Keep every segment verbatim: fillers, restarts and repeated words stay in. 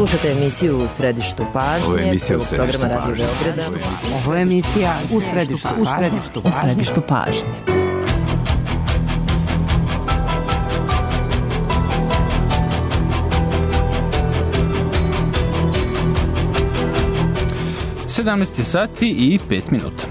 Slušate emisiju U središtu pažnje. Ovo je emisija U središtu programa pažnje. Radio Beograda. Ovo je emisija U središtu, u središtu, u središtu pažnje. sedamnaest sati i pet minuta.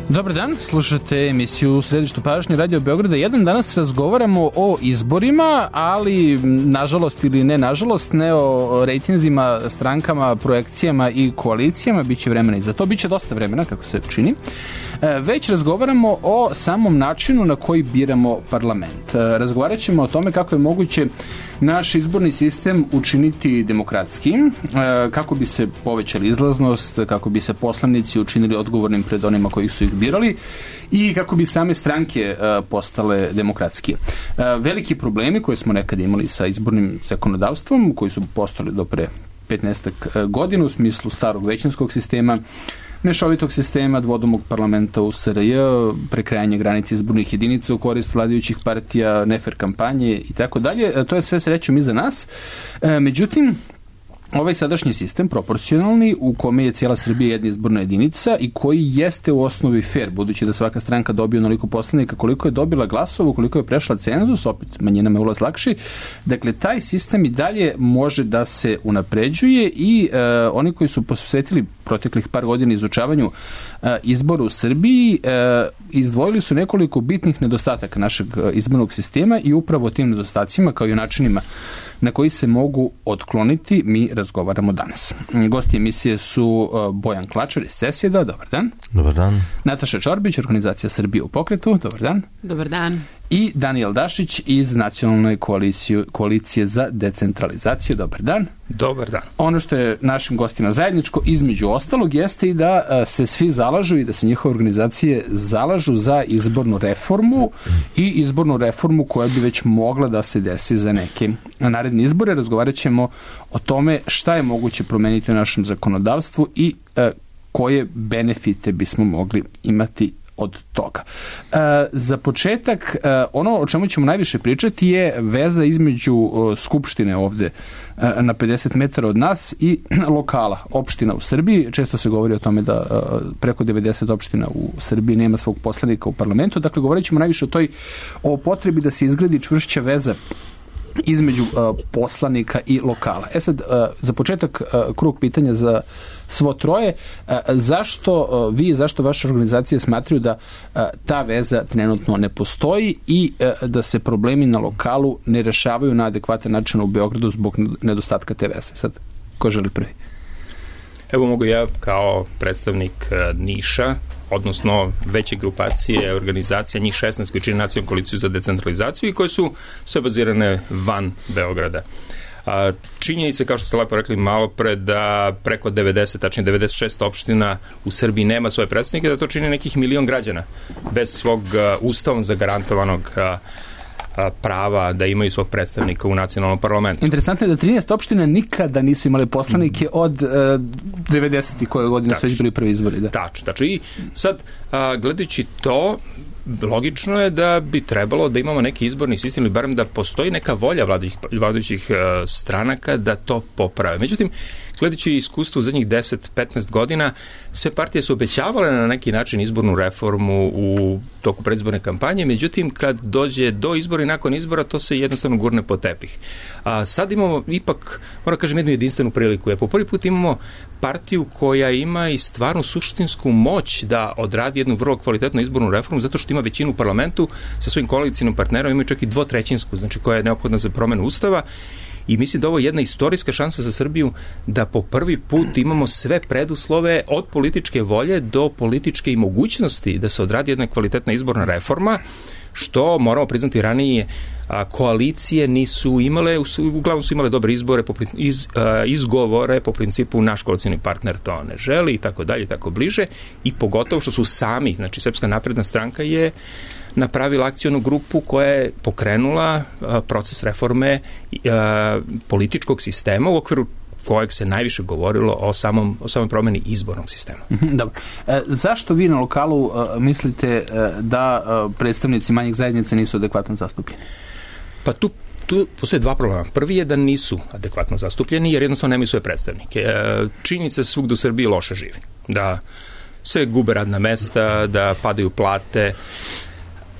Dobar dan, slušate emisiju U središtu pažnje Radio Beograda jedan. Danas razgovaramo o izborima, ali nažalost ili ne nažalost, ne o rejtinzima, strankama, projekcijama i koalicijama. Biće vremena i za to, biće dosta vremena, kako se čini. Već razgovaramo o samom načinu na koji biramo parlament. Razgovarat ćemo o tome kako je moguće naš izborni sistem učiniti demokratskim, kako bi se povećali izlaznost, kako bi se poslanici učinili odgovornim pred onima koji su ih birali i kako bi same stranke postale demokratskije. Veliki problemi koje smo nekad imali sa izbornim zakonodavstvom, koji su postali do pre petnaestak godina u smislu starog većinskog sistema, mešovitog sistema, dvodomog parlamenta u S R J, prekrajanje granice izbornih jedinica u korist vladajućih partija, nefer kampanje i tako dalje. To je sve srećom iza nas. Međutim, ovaj sadašnji sistem, proporcionalni, u kome je cijela Srbija jedna izborna jedinica i koji jeste u osnovi fair, budući da svaka stranka dobije onoliko poslanika koliko je dobila glasova, koliko je prešla cenzus, opet manjinama je ulaz lakši. Dakle, taj sistem i dalje može da se unapređuje i e, oni koji su posvetili proteklih par godina izučavanju e, izbora u Srbiji, e, izdvojili su nekoliko bitnih nedostataka našeg izbornog sistema i upravo o tim nedostacima, kao i o načinima na koji se mogu otkloniti, mi razgovaramo danas. Gosti emisije su Bojan Klačar iz CESID-a, dobar dan. Dobar dan. Nataša Čorbić, organizacija Srbije u pokretu, dobar dan. Dobar dan. I Danijel Dašić iz Nacionalne koalicije, koalicije za decentralizaciju, dobar dan. Dobar dan. Ono što je našim gostima zajedničko, između ostalog, jeste i da se svi zalažu i da se njihove organizacije zalažu za izbornu reformu i izbornu reformu koja bi već mogla da se desi za neke naredne izbore. Razgovarat ćemo o tome šta je moguće promeniti u našem zakonodavstvu i e, koje benefite bismo mogli imati od toga. E, za početak, e, ono o čemu ćemo najviše pričati je veza između e, Skupštine ovde e, na pedeset metara od nas i lokala, opština u Srbiji. Često se govori o tome da e, preko devedeset opština u Srbiji nema svog poslanika u parlamentu. Dakle, govorit ćemo najviše o toj o potrebi da se izgradi čvršća veza između uh, poslanika i lokala. E sad, uh, za početak uh, krug pitanja za svo troje. Uh, zašto uh, vi, zašto vaša organizacija smatraju da uh, ta veza trenutno ne postoji i uh, da se problemi na lokalu ne rešavaju na adekvatan način u Beogradu zbog nedostatka te veze? Sad, ko želi prvi? Evo mogu ja kao predstavnik uh, Niša, odnosno veće grupacije, organizacija, njih šesnaest koji čini Nacionalnu koaliciju za decentralizaciju i koje su sve bazirane van Beograda. A, činjenica, kao što ste lepo rekli malo pre, da preko devedeset, tačnije devedeset šest opština u Srbiji nema svoje predstavnike, da to čini nekih milion građana bez svog a, ustavom zagarantovanog a, prava da imaju svog predstavnika u nacionalnom parlamentu. Interesantno je da trinaest opština nikada nisu imali poslanike od uh, devedesetih koje godine su već bili prvi izbori. Da. Tačno, tačno. I sad, a, gledajući to, logično je da bi trebalo da imamo neki izborni sistem ili barem da postoji neka volja vladajućih, vladajućih uh, stranaka da to poprave. Međutim, gledajući iskustvo u zadnjih deset do petnaest godina, sve partije su obećavale na neki način izbornu reformu u toku predizborne kampanje, međutim, kad dođe do izbora i nakon izbora, to se jednostavno gurne po tepih. A sad imamo ipak, moram kažem, jednu jedinstvenu priliku. Jer po prvi put imamo partiju koja ima i stvarnu suštinsku moć da odradi jednu vrlo kvalitetnu izbornu reformu, zato što ima većinu u parlamentu sa svojim koalicijnim partnerom, imaju čak i dvotrećinsku, znači koja je neophodna za promenu ustava. I mislim da ovo je jedna istorijska šansa za Srbiju da po prvi put imamo sve preduslove od političke volje do političke i mogućnosti da se odradi jedna kvalitetna izborna reforma, što moramo priznati ranije a, koalicije nisu imale, uglavnom su imale dobre izbore, po, iz, a, izgovore po principu naš koalicijni partner to ne želi i tako dalje, tako bliže, i pogotovo što su sami, znači Srpska napredna stranka je napravila akcionu grupu koja je pokrenula a, proces reforme a, političkog sistema u okviru kojeg se najviše govorilo o samom, o samom promeni izbornog sistema. Mm-hmm, dobro. E, zašto vi na lokalu e, mislite e, da e, predstavnici manjih zajednica nisu adekvatno zastupljeni? Pa tu Tu postoje dva problema. Prvi je da nisu adekvatno zastupljeni jer jednostavno nemaju svoje predstavnike. Činjenica se svugde u Srbiji loše živi. Da se gube radna mesta, da padaju plate,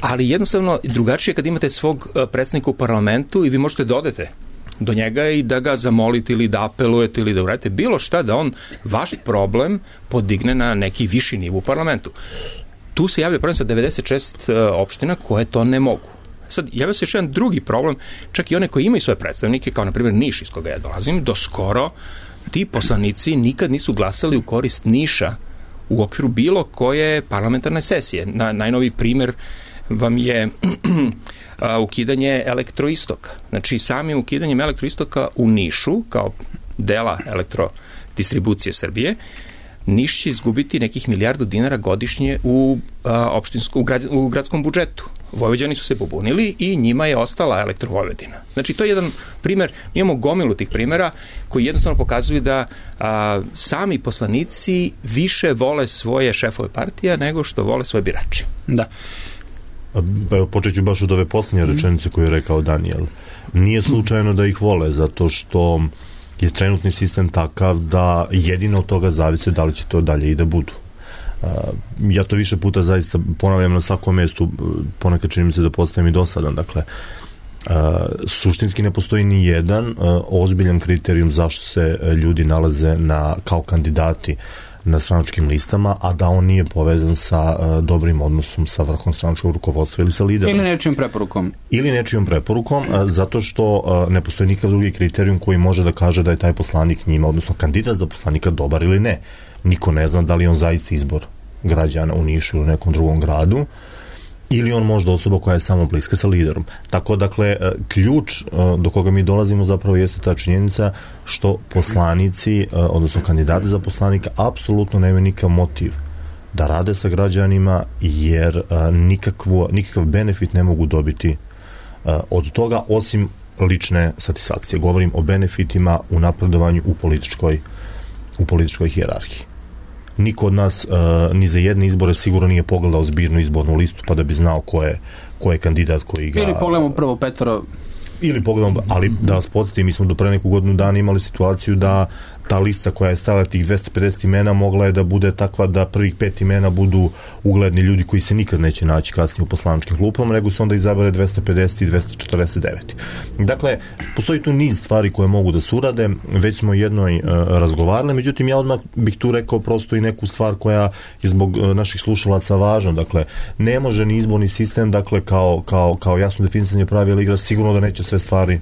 ali jednostavno drugačije kad imate svog predstavnika u parlamentu i vi možete da odete do njega i da ga zamolite ili da apelujete ili da uradite bilo šta da on vaš problem podigne na neki viši nivo u parlamentu. Tu se javlja problem sa devedeset šest opština koje to ne mogu. Sad, javlja se još jedan drugi problem, čak i one koji imaju svoje predstavnike, kao na primjer Niš iz koga ja dolazim, do skoro ti poslanici nikad nisu glasali u korist Niša u okviru bilo koje parlamentarne sesije. Na, najnoviji primjer vam je ukidanje Elektroistoka. Znači, samim ukidanjem Elektroistoka u Nišu, kao dela elektrodistribucije Srbije, Niš će izgubiti nekih milijardu dinara godišnje u, a, opštinsku, u, grad, u gradskom budžetu. Vojvođani su se pobunili i njima je ostala Elektrovojvodina. Znači, to je jedan primer, imamo gomilu tih primera koji jednostavno pokazuju da a, sami poslanici više vole svoje šefove partija nego što vole svoje birače. Da. Evo, počet ću baš od ove posljednje rečenice koju je rekao Danijel. Nije slučajno da ih vole, zato što je trenutni sistem takav da jedino od toga zavise da li će to dalje i da budu. Uh, ja to više puta zaista ponavljam na svakom mjestu, ponekad čini mi se da postajem i dosadan. Dakle, uh, suštinski ne postoji ni jedan uh, ozbiljan kriterijum zašto se ljudi nalaze na, kao kandidati na stranačkim listama, a da on nije povezan sa uh, dobrim odnosom sa vrhom stranačkog rukovodstva ili sa liderom. Ili nečijom preporukom. Ili nečijom preporukom, uh, zato što uh, ne postoji nikakav drugi kriterijum koji može da kaže da je taj poslanik njima, odnosno kandidat za poslanika dobar ili ne. Niko ne zna da li on zaista izbor građana u Nišu ili u nekom drugom gradu, ili on možda osoba koja je samo bliska sa liderom. Tako, dakle, ključ do koga mi dolazimo zapravo jeste ta činjenica što poslanici, odnosno kandidati za poslanika, apsolutno nemaju nikakav motiv da rade sa građanima, jer nikakvu, nikakav benefit ne mogu dobiti od toga, osim lične satisfakcije. Govorim o benefitima u napredovanju u političkoj, u političkoj hijerarhiji. Niko od nas uh, ni za jedne izbore sigurno nije pogledao zbirnu izbornu listu pa da bi znao ko je, ko je kandidat koji ga... Ili pogledamo prvo petoro... Ili pogledamo, ali da vas podsjetim, mi smo do pre neku godinu dana imali situaciju da ta lista koja je stala tih dvesta pedeset imena mogla je da bude takva da prvih pet imena budu ugledni ljudi koji se nikad neće naći kasnije u poslaničkim klupama, nego se onda izabere dvesta pedeset i dvesta četrdeset devet. Dakle, postoji tu niz stvari koje mogu da se urade, već smo jednoj uh, razgovarali, međutim ja odmah bih tu rekao prosto i neku stvar koja je zbog uh, naših slušalaca važna. Dakle, ne može ni izborni sistem, dakle, kao, kao, kao jasno definisanje pravila igra, sigurno da neće sve stvari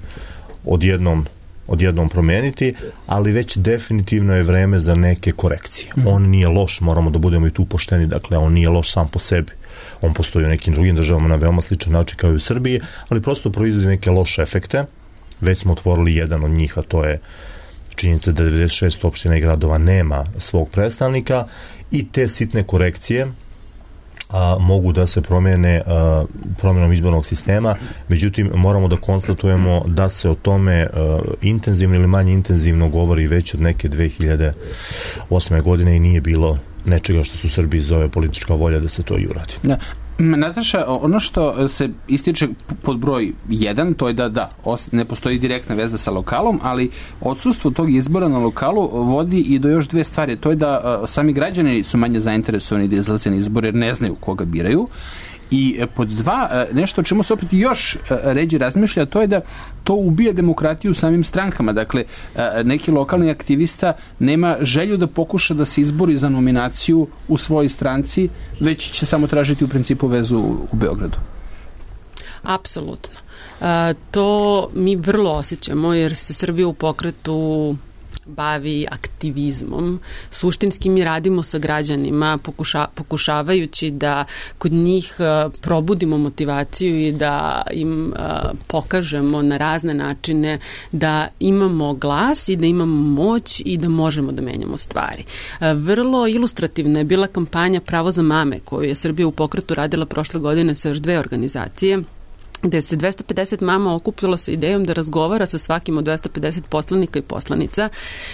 odjednom odjednom promeniti, ali već definitivno je vreme za neke korekcije. Mm. On nije loš, moramo da budemo i tu pošteni, dakle, on nije loš sam po sebi. On postoji u nekim drugim državama na veoma sličan način kao i u Srbiji, ali prosto proizvodi neke loše efekte. Već smo otvorili jedan od njih, a to je činjenica da devedeset šest opština i gradova nema svog predstavnika i te sitne korekcije a, mogu da se promene a, promjenom izbornog sistema, međutim moramo da konstatujemo da se o tome a, intenzivno ili manje intenzivno govori već od neke dve hiljade osme godine i nije bilo nečega što su u Srbiji zove politička volja da se to i uradi. Da. Nataša, ono što se ističe pod broj jedan, to je da da, ne postoji direktna veza sa lokalom, ali odsustvo tog izbora na lokalu vodi i do još dve stvari. To je da sami građani su manje zainteresovani da izlaze na izbore jer ne znaju koga biraju. I pod dva, nešto o čemu se opet još ređe razmišlja, to je da to ubija demokratiju u samim strankama. Dakle, neki lokalni aktivista nema želju da pokuša da se izbori za nominaciju u svojoj stranci, već će samo tražiti u principu vezu u Beogradu. Apsolutno. A, to mi vrlo osjećamo jer se Srbija u pokretu bavi aktivizmom. Suštinski mi radimo sa građanima pokuša, pokušavajući da kod njih uh, probudimo motivaciju i da im uh, pokažemo na razne načine da imamo glas i da imamo moć i da možemo da menjamo stvari. Uh, vrlo ilustrativna je bila kampanja Pravo za mame koju je Srbija u pokretu radila prošle godine sa još dve organizacije gde se dvesta pedeset mama okupilo sa idejom da razgovara sa svakim od dvesta pedeset poslanika i poslanica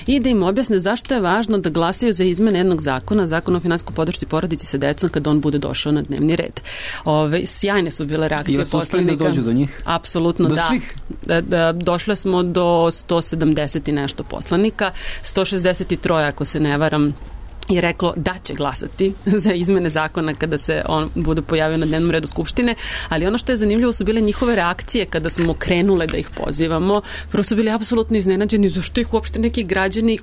i da im objasne zašto je važno da glasaju za izmene jednog zakona, zakon o finansijskoj podršci porodici sa decom kada on bude došao na dnevni red. Ove, sjajne su bile reakcije poslanika. I da dođu do njih? Apsolutno, do da. Svih? Da, da. Došle smo do sto sedamdeset i nešto poslanika, sto šezdeset tri ako se ne varam, je reklo da će glasati za izmene zakona kada se on bude pojavio na dnevnom redu Skupštine, ali ono što je zanimljivo su bile njihove reakcije kada smo krenule da ih pozivamo. Prvo su bili apsolutno iznenađeni zašto ih uopšte neki građani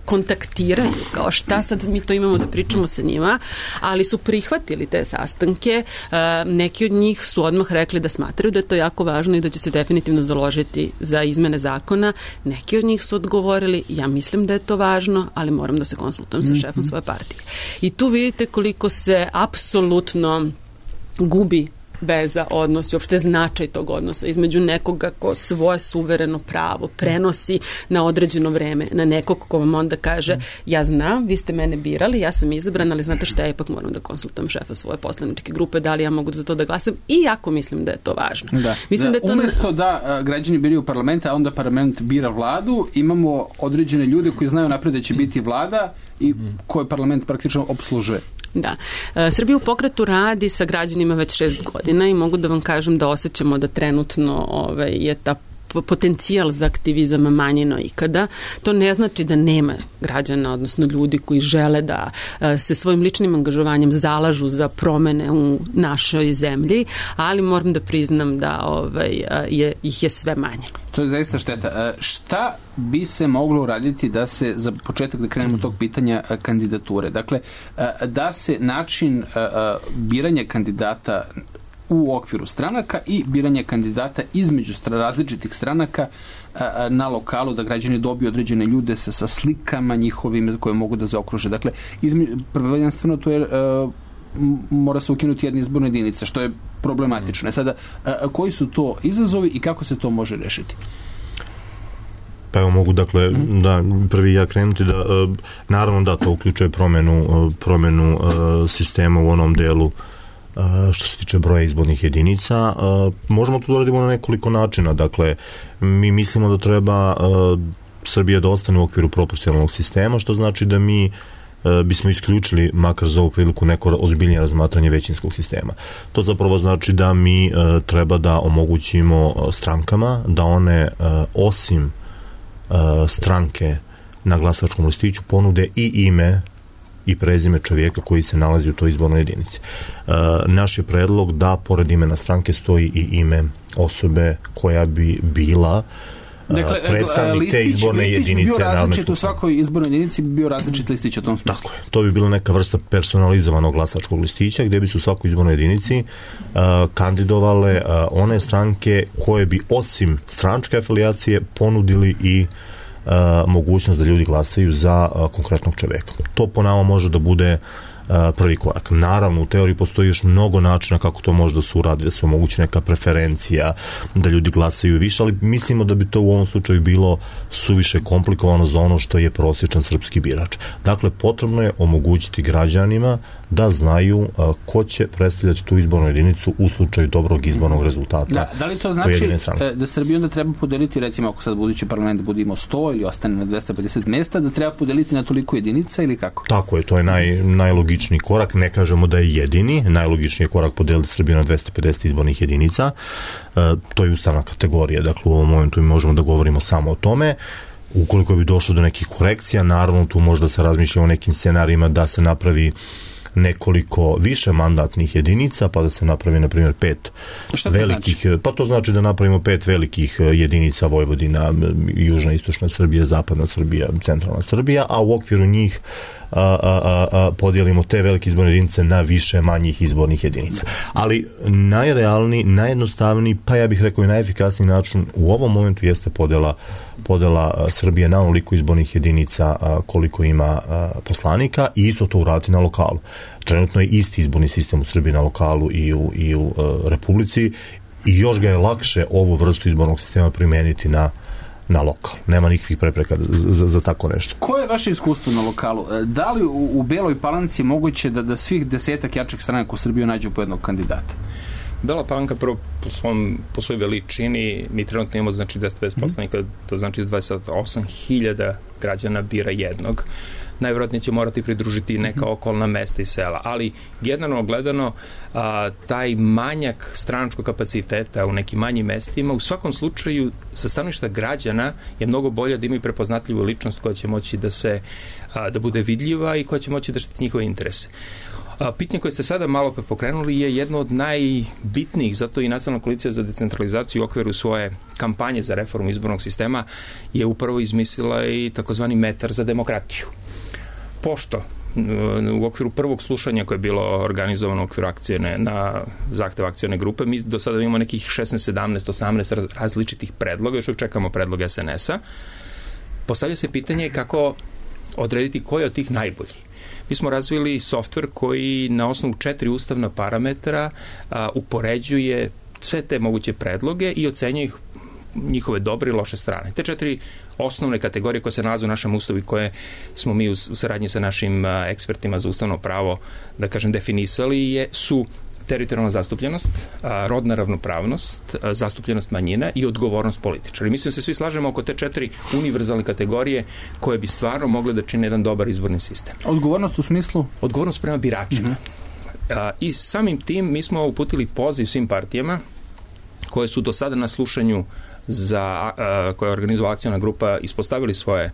kontaktiraju, kao šta sad mi to imamo da pričamo sa njima, ali su prihvatili te sastanke. Neki od njih su odmah rekli da smatraju da je to jako važno i da će se definitivno založiti za izmene zakona. Neki od njih su odgovorili, ja mislim da je to važno, ali moram da se konsultujem sa šefom svoje partije. I tu vidite koliko se apsolutno gubi veza, odnos i uopšte značaj tog odnosa između nekoga ko svoje suvereno pravo prenosi na određeno vreme na nekog ko vam onda kaže ja znam, vi ste mene birali, ja sam izabran, ali znate šta, ja ipak moram da konsultujem šefa svoje poslaničke grupe, da li ja mogu za to da glasam, iako mislim da je to važno. Da. Mislim da, da, da to umesto ne... da a, građani biraju parlament, a onda parlament bira vladu, imamo određene ljude koji znaju napred da će biti vlada i koje parlament praktično obslužuje. Da. Srbija u pokretu radi sa građanima već šest godina i mogu da vam kažem da osjećamo da trenutno ovaj, je ta potencijal za aktivizam manji no ikada. To ne znači da nema građana, odnosno ljudi koji žele da se svojim ličnim angažovanjem zalažu za promene u našoj zemlji, ali moram da priznam da ovaj, je, ih je sve manje. To je zaista šteta. Šta bi se moglo uraditi da se, za početak da krenemo tog pitanja kandidature, dakle, da se način biranja kandidata u okviru stranaka i biranje kandidata između različitih stranaka na lokalu, da građani dobiju određene ljude sa, sa slikama njihovim koje mogu da zaokruže. Dakle, prvenstveno to je uh, mora se ukinuti jedna izborna jedinica, što je problematično. Sada, uh, koji su to izazovi i kako se to može rešiti? Pa evo mogu, dakle, mm. da prvi ja krenuti da, uh, naravno da to uključuje promenu, uh, promenu uh, sistema u onom delu što se tiče broja izbornih jedinica. Možemo to da radimo na nekoliko načina. Dakle, mi mislimo da treba Srbija da ostane u okviru proporcionalnog sistema, što znači da mi bismo isključili, makar za ovu priliku, neko ozbiljnije razmatranje većinskog sistema. To zapravo znači da mi treba da omogućimo strankama da one osim stranke na glasačkom listiću ponude i ime i prezime čovjeka koji se nalazi u toj izbornoj jedinici. E, naš je predlog da pored imena stranke stoji i ime osobe koja bi bila dakle, predstavnik listić, te izborne listić jedinice. Listić bi bio različit u svakoj izbornoj jedinici, bi bio različit listić u tom smislu. Tako je. To bi bila neka vrsta personalizovanog glasačkog listića gdje bi se u svakoj izbornoj jedinici uh, kandidovale uh, one stranke koje bi osim stranačke afilijacije ponudili i Uh, mogućnost da ljudi glasaju za uh, konkretnog čovjeka. To po nama može da bude uh, prvi korak. Naravno, u teoriji postoji još mnogo načina kako to može da se uradi, da se omogući neka preferencija, da ljudi glasaju više, ali mislimo da bi to u ovom slučaju bilo suviše komplikovano za ono što je prosječan srpski birač. Dakle, potrebno je omogućiti građanima da znaju uh, ko će predstavljati tu izbornu jedinicu u slučaju dobrog izbornog rezultata. Da, da li to znači da Srbija onda treba podeliti, recimo ako sad budući parlament bude imao sto ili ostane na dvesta pedeset mesta, da treba podeliti na toliko jedinica ili kako? Tako je, to je naj, najlogičniji korak, ne kažemo da je jedini, najlogičniji je korak podeliti Srbiju na dvesta pedeset izbornih jedinica, uh, to je ustavna kategorija, dakle u ovom momentu mi možemo da govorimo samo o tome. Ukoliko bi došlo do nekih korekcija, naravno tu možda se razmišlja o nekim scenarijima da se napravi nekoliko više mandatnih jedinica, pa da se napravi, na primjer, pet velikih, znači? Pa to znači da napravimo pet velikih jedinica: Vojvodina, Južna, Istočna Srbija, Zapadna Srbija, Centralna Srbija, a u okviru njih a, a, a, podijelimo te velike izborne jedinice na više manjih izbornih jedinica. Ali najrealniji, najjednostavniji, pa ja bih rekao i najefikasniji način u ovom momentu jeste podela podela Srbije na onoliko izbornih jedinica koliko ima poslanika i isto to uraditi na lokalu. Trenutno je isti izborni sistem u Srbiji na lokalu i u, i u Republici i još ga je lakše ovu vrstu izbornog sistema primeniti na na lokal. Nema nikakvih prepreka za, za, za tako nešto. Koje je vaše iskustvo na lokalu? Da li u, u Beloj Palanci je moguće da, da svih desetak jačih stranaka u Srbiji nađu po jednog kandidata? Bela Palanka prvo po, svom, po svojoj veličini, mi trenutno imamo znači dvesta pedeset poslanika, to znači dvadeset osam hiljada građana bira jednog. Najvjerojatnije će morati pridružiti neka okolna mesta i sela, ali generalno gledano a, taj manjak stranačkog kapaciteta u nekim manjim mestima u svakom slučaju sa stanovišta građana je mnogo bolje da imaju prepoznatljivu ličnost koja će moći da se a, da bude vidljiva i koja će moći da štiti njihove interese. A, pitanje koje ste sada malo pokrenuli je jedno od najbitnijih, zato i Nacionalna koalicija za decentralizaciju u okviru svoje kampanje za reformu izbornog sistema je upravo izmislila i takozvani metar za demokratiju. Pošto u okviru prvog slušanja koje je bilo organizovano u okviru akcijne, na zahtev akcijne grupe, mi do sada imamo nekih šesnaest, sedamnaest, osamnaest različitih predloga, još uvijek čekamo predlog es en es a. Postavlja se pitanje kako odrediti koji od tih najbolji. Mi smo razvili softver koji na osnovu četiri ustavna parametra a, upoređuje sve te moguće predloge i ocenjuje ih njihove dobre i loše strane. Te četiri osnovne kategorije koje se nalaze u našem ustavu i koje smo mi u, u saradnji sa našim a, ekspertima za ustavno pravo, da kažem, definisali je, su teritorijalna zastupljenost, a, rodna ravnopravnost, a, zastupljenost manjina i odgovornost političara. I mislim se svi slažemo oko te četiri univerzalne kategorije koje bi stvarno mogle da čine jedan dobar izborni sistem. Odgovornost u smislu? Odgovornost prema biračima. Mm-hmm. a, I samim tim mi smo uputili poziv svim partijama koje su do sada na slušanju za a, koja je organizovala akcijna grupa ispostavili svoje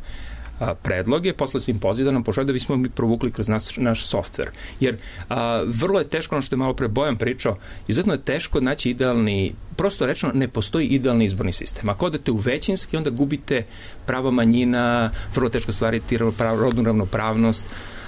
a, predloge, poslali su im poziv da nam pošalju da bismo mi provukli kroz naš, naš softver. Jer a, vrlo je teško, ono što je malo pre Bojan pričao, izuzetno je teško naći idealni, prosto rečeno, ne postoji idealni izborni sistem. Ako odete u većinski, onda gubite prava manjina, vrlo teško stvariti rodnu ravnopravnost,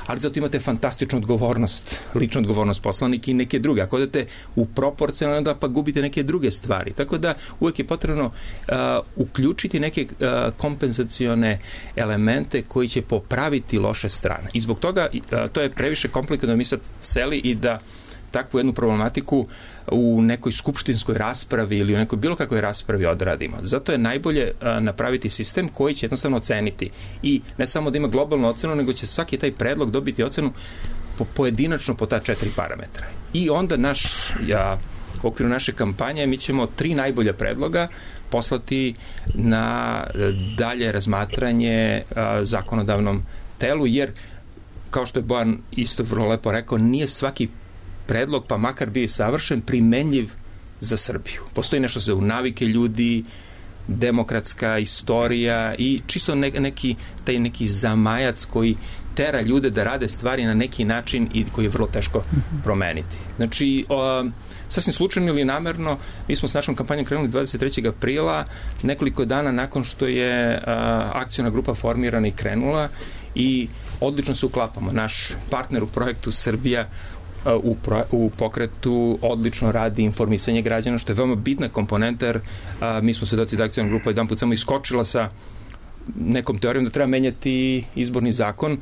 ali zato imate fantastičnu odgovornost, ličnu odgovornost poslanika i neke druge. Ako odete u proporcionalno, onda pa gubite neke druge stvari. Tako da uvek je potrebno uh, uključiti neke uh, kompenzacione elemente koji će popraviti loše strane. I zbog toga uh, to je previše komplikovano da mi sad seli i da takvu jednu problematiku u nekoj skupštinskoj raspravi ili u nekoj bilo kakvoj raspravi odradimo. Zato je najbolje a, napraviti sistem koji će jednostavno oceniti i ne samo da ima globalnu ocenu, nego će svaki taj predlog dobiti ocenu po, pojedinačno po ta četiri parametra. I onda naš, ja, u okviru naše kampanje mi ćemo tri najbolja predloga poslati na dalje razmatranje a, zakonodavnom telu, jer kao što je Bojan isto vrlo lepo rekao, nije svaki predlog, pa makar bio savršen, primenljiv za Srbiju. Postoji nešto što je u navike ljudi, demokratska istorija i čisto ne, neki, taj neki zamajac koji tera ljude da rade stvari na neki način i koji je vrlo teško promeniti. Znači, o, sasvim slučajno ili namerno, mi smo s našom kampanjom krenuli dvadeset trećeg aprila, nekoliko dana nakon što je a, akcijna grupa formirana i krenula i odlično se uklapamo. Naš partner u projektu Srbija U, pro, u pokretu odlično radi informisanje građana, što je veoma bitna komponenta, jer a, mi smo svedoci da akcijna grupa jedan put samo iskočila sa nekom teorijom da treba menjati izborni zakon.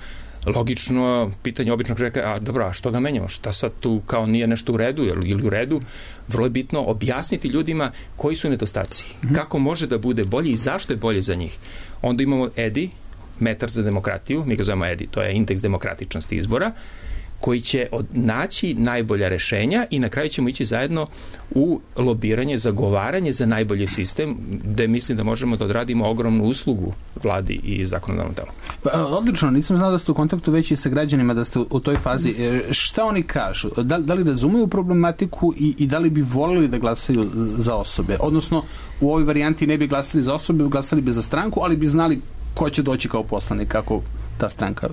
Logično pitanje običnog čovjeka, a dobro, a što ga menjamo? Šta sad tu kao nije nešto u redu ili u redu? Vrlo je bitno objasniti ljudima koji su nedostaci, mm-hmm. kako može da bude bolje i zašto je bolje za njih. Onda imamo E D I, metar za demokratiju, mi ga zovemo E D I, to je indeks demokratičnosti izbora, koji će naći najbolja rešenja i na kraju ćemo ići zajedno u lobiranje, zagovaranje za najbolji sistem, gde mislim da možemo da odradimo ogromnu uslugu vladi i zakonodavnom telu. Pa, odlično, nisam znao da ste u kontaktu već i sa građanima, da ste u, u toj fazi. Šta oni kažu? Da, da li razumeju problematiku i, i da li bi volili da glasaju za osobe? Odnosno, u ovoj varijanti ne bi glasali za osobe, glasali bi za stranku, ali bi znali ko će doći kao poslanik, kako ta stranka.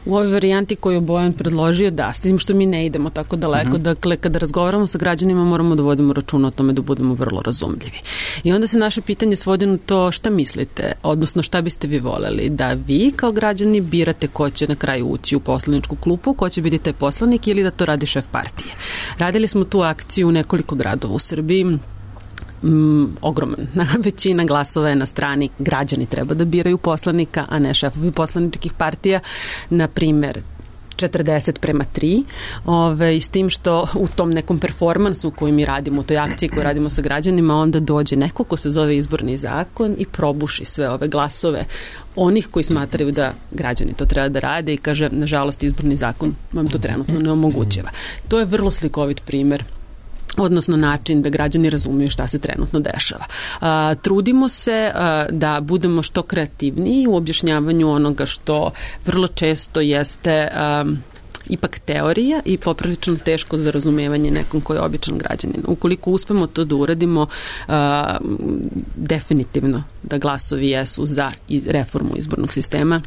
U ovoj varijanti koju Bojan predložio, da, s tim što mi ne idemo tako daleko, uh-huh. dakle, kada razgovaramo sa građanima moramo da vodimo računa o tome da budemo vrlo razumljivi. I onda se naše pitanje svodi na to šta mislite, odnosno šta biste vi voleli, da vi kao građani birate ko će na kraju ući u poslaničku klupu, ko će biti taj poslanik ili da to radi šef partije. Radili smo tu akciju u nekoliko gradova u Srbiji. Mm, ogroman. Većina glasova je na strani građani treba da biraju poslanika, a ne šefovi poslaničkih partija. Na primer, četrdeset prema tri, ove, i s tim što u tom nekom performansu koji mi radimo, u toj akciji koju radimo sa građanima, onda dođe neko ko se zove izborni zakon i probuši sve ove glasove onih koji smatraju da građani to treba da rade i kaže, nažalost, izborni zakon vam to trenutno ne omogućava. To je vrlo slikovit primer odnosno način da građani razumiju šta se trenutno dešava. A, trudimo se a, da budemo što kreativniji u objašnjavanju onoga što vrlo često jeste a, ipak teorija i poprilično teško za razumevanje nekom koji je običan građanin. Ukoliko uspemo to da uradimo, a, definitivno da glasovi jesu za reformu izbornog sistema.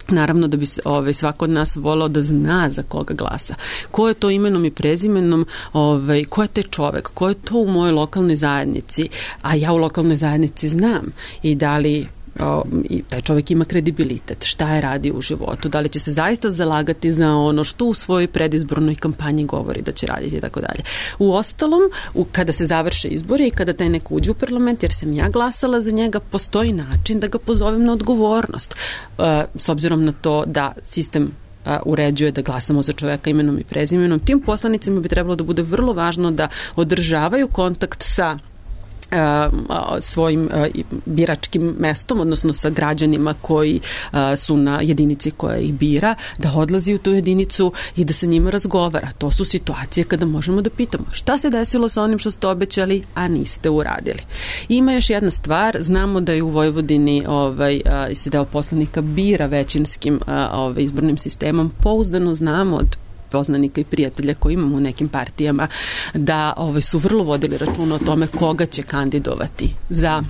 Naravno da bi ovaj, svako od nas volao da zna za koga glasa. Ko je to imenom i prezimenom, ovaj, ko je taj čovek, ko je to u mojoj lokalnoj zajednici, a ja u lokalnoj zajednici znam i da li O, i taj čovjek ima kredibilitet, šta je radio u životu, da li će se zaista zalagati za ono što u svojoj predizbornoj kampanji govori da će raditi i tako dalje. U ostalom, u, kada se završe izbori i kada taj neko uđe u parlament, jer sam ja glasala za njega, postoji način da ga pozovem na odgovornost. E, s obzirom na to da sistem a, uređuje da glasamo za čoveka imenom i prezimenom, tim poslanicima bi trebalo da bude vrlo važno da održavaju kontakt sa svojim biračkim mestom, odnosno sa građanima koji su na jedinici koja ih bira, da odlazi u tu jedinicu i da sa njima razgovara. To su situacije kada možemo da pitamo šta se desilo sa onim što ste obećali, a niste uradili. Ima još jedna stvar, znamo da je u Vojvodini ovaj, se deo poslanika bira većinskim ovaj, izbornim sistemom, pouzdano znamo od poznanika i prijatelja koji imamo u nekim partijama da ovaj, su vrlo vodili računa o tome koga će kandidovati za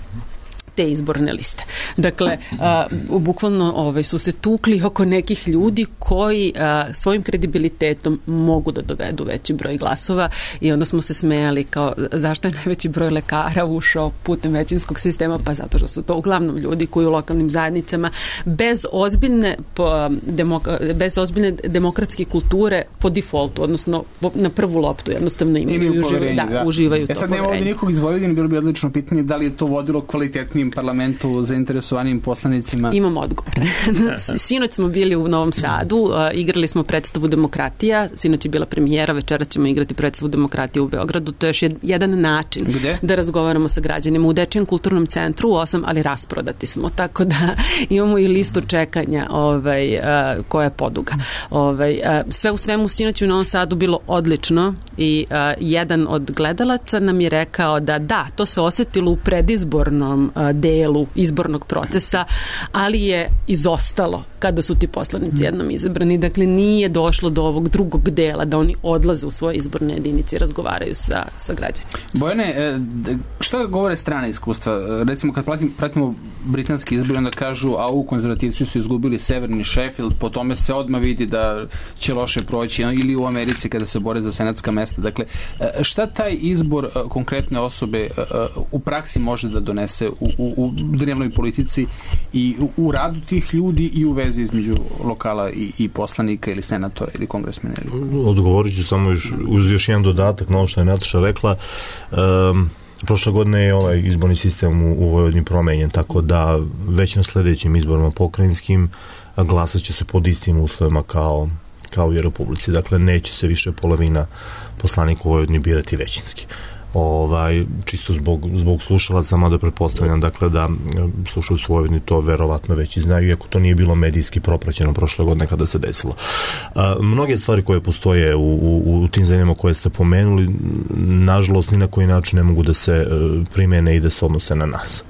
te izborne liste. Dakle, a, bukvalno ovaj, su se tukli oko nekih ljudi koji a, svojim kredibilitetom mogu da dovedu veći broj glasova i onda smo se smejali kao zašto je najveći broj lekara ušao putem većinskog sistema, pa zato što su to uglavnom ljudi koji u lokalnim zajednicama bez ozbiljne, po, demok, bez ozbiljne demokratske kulture po defaultu, odnosno po, na prvu loptu jednostavno imaju, imaju i uživaju, da, da. uživaju e, to sad poverenje. nema ovdje nikog iz Vojvodine, bilo bi odlično pitanje da li je to vodilo kvalitetnim parlamentu zainteresovanim poslanicima? Imam odgovor. Sinoć smo bili u Novom Sadu, uh, igrali smo predstavu Demokratija, sinoć je bila premijera, večera ćemo igrati predstavu Demokratija u Beogradu, to je još jed, jedan način Gde? Da razgovaramo sa građanima u Dečijem kulturnom centru u osam, ali rasprodati smo, tako da imamo i listu čekanja ovaj, uh, koja je poduga. Ovaj, uh, sve u svemu sinoć u Novom Sadu bilo odlično i uh, jedan od gledalaca nam je rekao da da, to se osetilo u predizbornom uh, delu izbornog procesa, ali je izostalo kada su ti poslanici jednom izabrani. Dakle, nije došlo do ovog drugog dela da oni odlaze u svoje izborne jedinice i razgovaraju sa, sa građanima. Bojane, šta govore strane iskustva? Recimo, kad pratimo, pratimo britanski izbor, onda kažu, a u konzervativci su izgubili severni Sheffield, po tome se odmah vidi da će loše proći, ili u Americi kada se bore za senatska mesta. Dakle, šta taj izbor konkretne osobe u praksi može da donese u, u, u dnevnoj politici i u, u radu tih ljudi i u vezi između lokala i, i poslanika ili senatora ili kongresmena? Odgovorit ću samo još, uz još jedan dodatak na ovo što je Nataša rekla. Um, prošle godine je ovaj izborni sistem u, u Vojvodini promenjen, tako da već na sledećim izborima pokrajinskim glasat će se pod istim uslovima kao, kao i u Republici. Dakle, neće se više polovina poslanika u Vojvodini birati većinski. Ovaj, čisto zbog, zbog slušalaca, mada pretpostavljam dakle da slušalci u Vojvodini to verovatno već i znaju, iako to nije bilo medijski propraćeno prošle godine kada se desilo. A, mnoge stvari koje postoje u, u, u tim zemljama koje ste pomenuli, nažalost ni na koji način ne mogu da se primene i da se odnose na nas.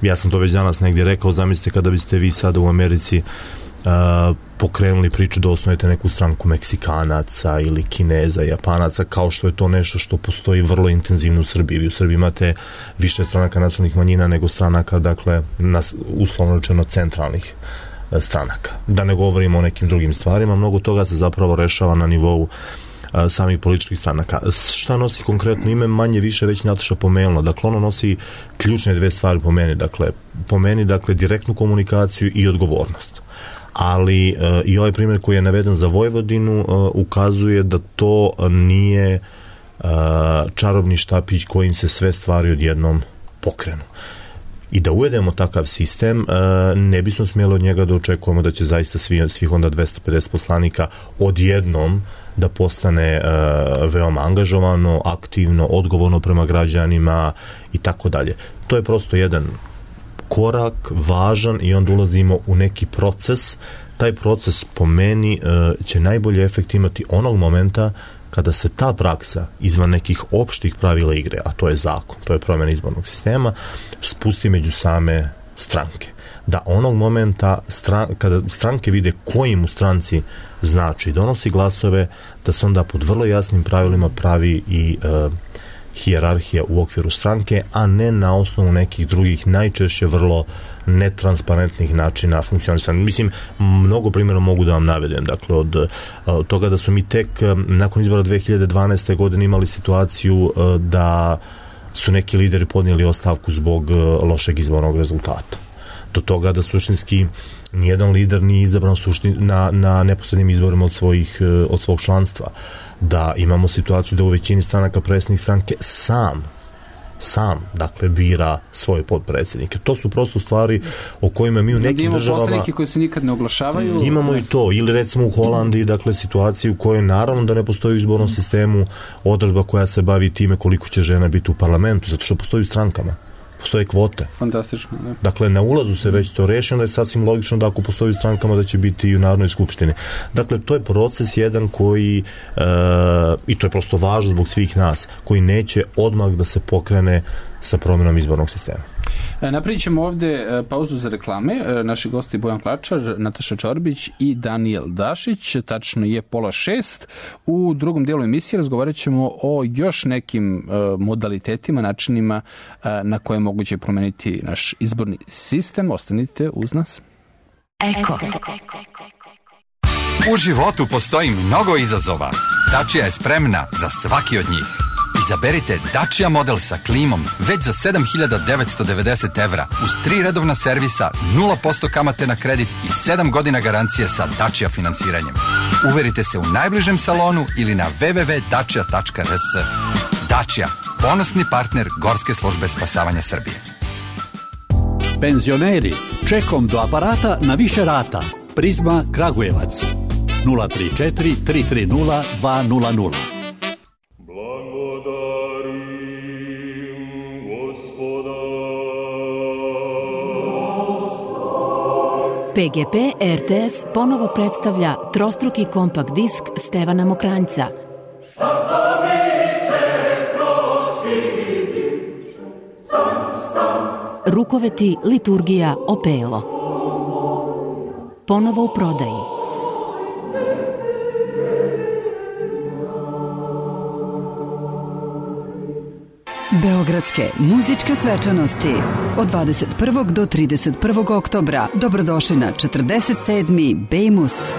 Ja sam to već danas negdje rekao, zamislite kada biste vi sada u Americi a, pokrenuli priču da osnovete neku stranku Meksikanaca ili Kineza, Japanaca, kao što je to nešto što postoji vrlo intenzivno u Srbiji. Vi u Srbiji imate više stranaka nacionalnih manjina nego stranaka, dakle, nas, uslovno rečeno centralnih stranaka. Da ne govorimo o nekim drugim stvarima, mnogo toga se zapravo rešava na nivou a, samih političkih stranaka. Šta nosi konkretno ime, manje više već Nataša pomenula. Dakle, ono nosi ključne dve stvari po meni. Dakle, po meni, dakle, direktnu komunikaciju i odgovornost. Ali uh, i ovaj primjer koji je naveden za Vojvodinu uh, ukazuje da to nije uh, čarobni štapić kojim se sve stvari odjednom pokrenu. I da uvedemo takav sistem, uh, ne bismo smjeli od njega da očekujemo da će zaista svi, svih onda dvesta pedeset poslanika odjednom da postane uh, veoma angažovano, aktivno, odgovorno prema građanima i tako dalje. To je prosto jedan korak, važan, i onda ulazimo u neki proces. Taj proces po meni uh, će najbolji efekt imati onog momenta kada se ta praksa izvan nekih opštih pravila igre, a to je zakon, to je promjena izbornog sistema, spusti među same stranke. Da onog momenta stran, kada stranke vide koji mu stranci znači donosi glasove, da se onda pod vrlo jasnim pravilima pravi i e, hijerarhija u okviru stranke, a ne na osnovu nekih drugih, najčešće vrlo netransparentnih načina funkcionisanja. Mislim, mnogo primjera mogu da vam navedem. Dakle, od, od toga da su mi tek nakon izbora dve hiljade dvanaeste. godine imali situaciju da su neki lideri podnijeli ostavku zbog lošeg izbornog rezultata. Do toga da suštinski nijedan lider nije izabran suštin, na, na neposrednim izborima od, svojih, od svog članstva. Da imamo situaciju da u većini stranaka predsjednik stranke sam sam, dakle, bira svoje potpredsjednike. To su prosto stvari o kojima mi u nekim imamo državama... Imamo poslanike koji se nikad ne oglašavaju. Imamo i to. Ili recimo u Holandiji, dakle, situaciju u kojoj naravno da ne postoji u izbornom sistemu odredba koja se bavi time koliko će žena biti u parlamentu, zato što postoji u strankama. Postoje kvote. Fantastično, da. Dakle, na ulazu se već to reši, onda je sasvim logično da ako postoji u strankama da će biti i u Narodnoj skupštini. Dakle, to je proces jedan koji, e, i to je prosto važno zbog svih nas, koji neće odmah da se pokrene sa promjenom izbornog sistema. Napravit ćemo ovde pauzu za reklame. Naši gosti Bojan Klačar, Nataša Čorbić i Danijel Dašić. Tačno je pola šest. U drugom dijelu emisije razgovarat ćemo o još nekim modalitetima, načinima na koje je moguće promeniti naš izborni sistem. Ostanite uz nas. Eko. U životu postoji mnogo izazova. Dacia je spremna za svaki od njih. Izaberite Dacia model sa klimom već za sedam hiljada devetsto devedeset evra uz tri redovna servisa, nula posto kamate na kredit i sedam godina garancije sa Dacia finansiranjem. Uverite se u najbližem salonu ili na w w w tačka dacia tačka r s. Dacia, ponosni partner Gorske službe spasavanja Srbije. Penzioneri, čekom do aparata na više rata. Prizma Kragujevac. nula tri četiri tri tri nula dva nula nula. P G P R T S ponovo predstavlja trostruki kompakt disk Stevana Mokranjca. Rukoveti, liturgija, opelo. Ponovo u prodaji. Beogradske muzičke svečanosti od dvadeset prvog do trideset prvog oktobra. Dobrodošli na četrdeset sedmi Bejmus.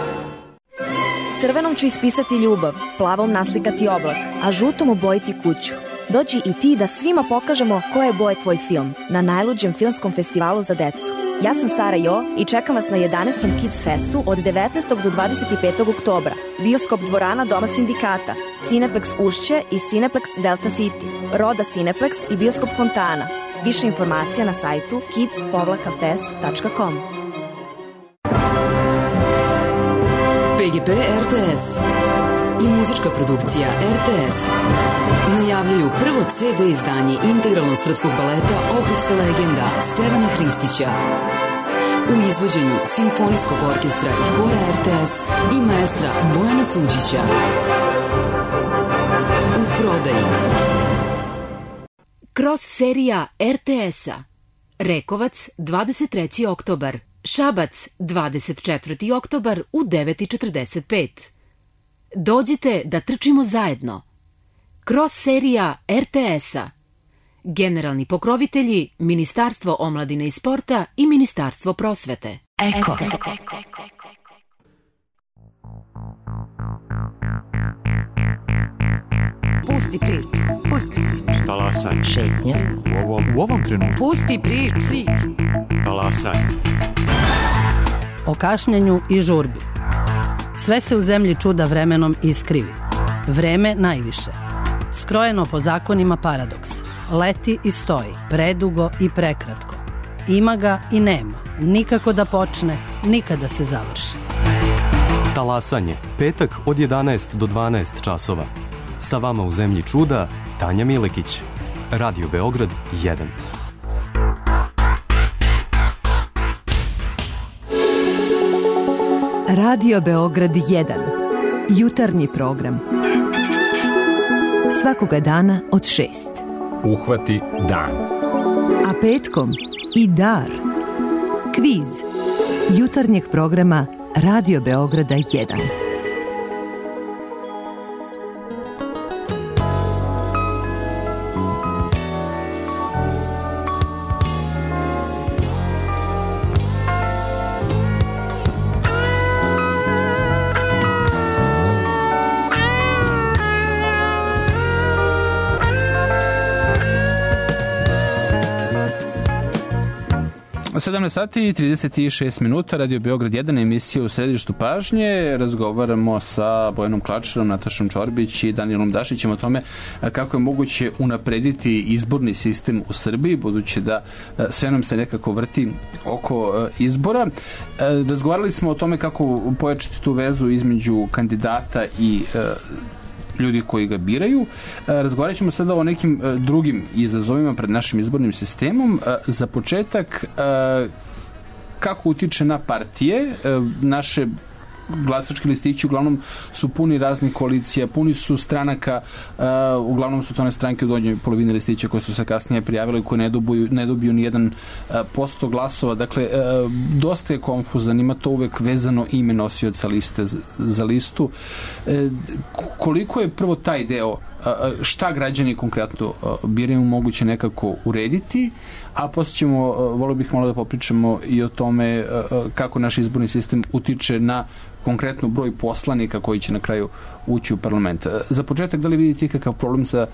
Crvenom ću ispisati ljubav, plavom naslikati oblak, a žutom obojiti kuću. Dođi i ti da svima pokažemo koje je boje tvoj film na najluđem filmskom festivalu za decu. Ja sam Sara Jo i čekam vas na jedanaestom Kids Festu od devetnaestog do dvadeset petog oktobra. Bioskop dvorana Doma sindikata, Cineplex Ušće i Cineplex Delta City, Roda Cineplex i Bioskop Fontana. Više informacija na sajtu kids fest tačka com. P G P R T S i muzička produkcija R T S najavljuju prvo C D izdanje integralnog srpskog baleta Ohridska legenda Stevana Hristića u izvođenju Simfonijskog orkestra i hora R T S i maestra Bojana Suđića. U prodaji Cross serija R T S-a. Rekovac dvadeset treći oktobar, Šabac dvadeset četvrti oktobar u devet i četrdeset pet. Dođite da trčimo zajedno. Cross serija R T S-a. Generalni pokrovitelji Ministarstvo omladine i sporta i Ministarstvo prosvete. Eko. Pusti priču, pusti priču. Talasaj. Šetnja. U ovom, u ovom trenutku. Pusti priču. Talasaj. O kašnjenju i žurbi. Sve se u zemlji čuda vremenom iskrivi. Vreme najviše. Skrojeno po zakonima paradoks. Leti i stoji, predugo i prekratko. Ima ga i nema. Nikako da počne, nikada se završi. Talasanje. Petak od jedanaest do dvanaest časova. Sa vama u zemlji čuda, Tanja Milekić. Radio Beograd jedan. Radio Beograd jedan. Jutarnji program. Svakoga dana od šest. Uhvati dan. A petkom i dar. Kviz jutarnjeg programa Radio Beograda jedan. sedamnaest sati i trideset šest minuta, Radio Beograd jedan, emisija u središtu pažnje. Razgovaramo sa Bojanom Klačarom, Natašom Čorbić i Danijelom Dašićem o tome kako je moguće unaprediti izborni sistem u Srbiji, budući da sve nam se nekako vrti oko izbora. Razgovarali smo o tome kako pojačati tu vezu između kandidata i ljudi koji ga biraju. Razgovarat ćemo sada o nekim drugim izazovima pred našim izbornim sistemom. Za početak, kako utiče na partije. Naše glasački listići uglavnom su puni raznih koalicija, puni su stranaka, uh, uglavnom su to one stranke u donjoj polovini listića koje su se kasnije prijavile, koje ne dobiju, ne dobiju ni jedan uh, posto glasova. Dakle, uh, dosta je konfuzan, ima to uvek vezano ime nosioca liste za, za listu. Uh, koliko je prvo taj deo, uh, šta građani konkretno uh, biraju, moguće nekako urediti, a poslije ćemo, uh, volio bih malo da popričamo i o tome uh, kako naš izborni sistem utiče na konkretno broj poslanika koji će na kraju ući u parlament. Za početak, da li vidite kakav problem sa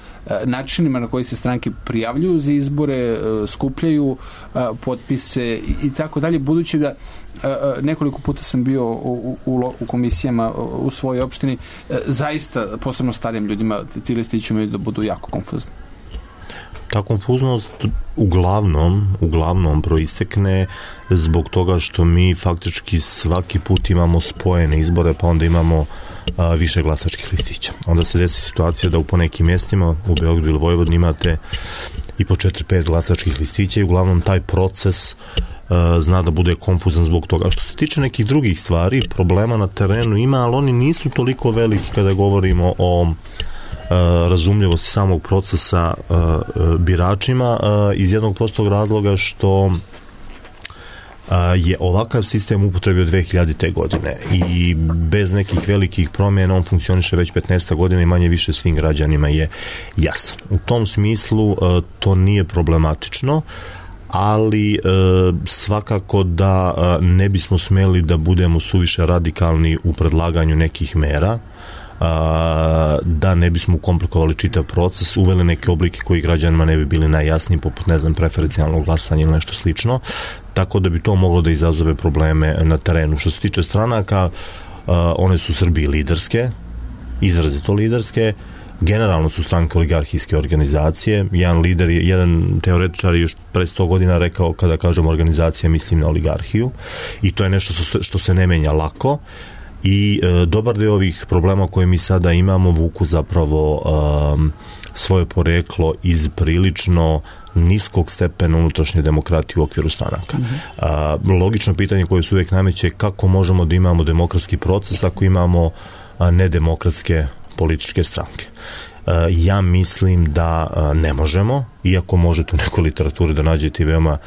načinima na koji se stranke prijavljuju za izbore, skupljaju potpise i tako dalje, budući da nekoliko puta sam bio u, u, u komisijama u svojoj opštini, zaista, posebno starijim ljudima, ti listići imaju da budu jako konfuzni. Ta konfuznost uglavnom, uglavnom proistekne zbog toga što mi faktički svaki put imamo spojene izbore, pa onda imamo a, više glasačkih listića. Onda se desi situacija da u ponekim mjestima, u Beogradu ili Vojvodini, imate i po četiri pet glasačkih listića i uglavnom taj proces a, zna da bude konfuzan zbog toga. Što se tiče nekih drugih stvari, problema na terenu ima, ali oni nisu toliko veliki kada govorimo o razumljivosti samog procesa biračima, iz jednog prostog razloga što je ovakav sistem upotrebio dve hiljadite. godine i bez nekih velikih promjena on funkcioniše već petnaest godina i manje više svim građanima je jasan. U tom smislu to nije problematično, ali svakako da ne bismo smeli da budemo suviše radikalni u predlaganju nekih mera, da ne bismo komplikovali čitav proces, uveli neke oblike koji građanima ne bi bili najjasniji, poput, ne znam, preferencijalnog glasanja ili nešto slično, tako da bi to moglo da izazove probleme na terenu. Što se tiče stranaka, one su u Srbiji liderske, izrazito liderske, generalno su stranke oligarhijske organizacije. Jedan lider, jedan teoretičar je još pre sto godina rekao, kada kažem organizacija, mislim na oligarhiju, i to je nešto što, što se ne menja lako. I e, dobar deo ovih problema koje mi sada imamo vuku zapravo um, svoje poreklo iz prilično niskog stepena unutrašnje demokratije u okviru stranaka. Mm-hmm. A, logično pitanje koje se uvijek nameće, kako možemo da imamo demokratski proces ako imamo a, nedemokratske političke stranke. A, ja mislim da a, ne možemo, iako možete u nekoj literaturi da nađete veoma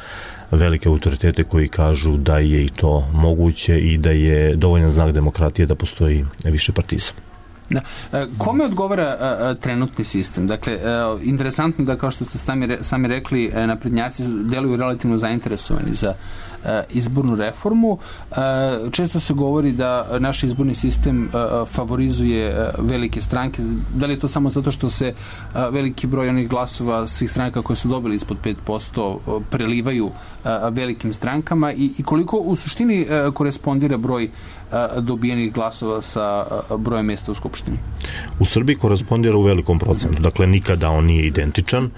velike autoritete koji kažu da je i to moguće i da je dovoljan znak demokratije da postoji više partizam. Da. Kome odgovara a, trenutni sistem? Dakle, a, interesantno da, kao što ste sami, sami rekli, naprednjaci deluju relativno zainteresovani za a, izbornu reformu. A, često se govori da naš izborni sistem a, favorizuje a, velike stranke. Da li je to samo zato što se a, veliki broj onih glasova svih stranaka koje su dobili ispod pet posto a, prelivaju a, velikim strankama i, i koliko u suštini a, korespondira broj dobijenih glasova sa brojem mjesta u Skupštini? U Srbiji korespondira u velikom procentu. Dakle, nikada on nije identičan.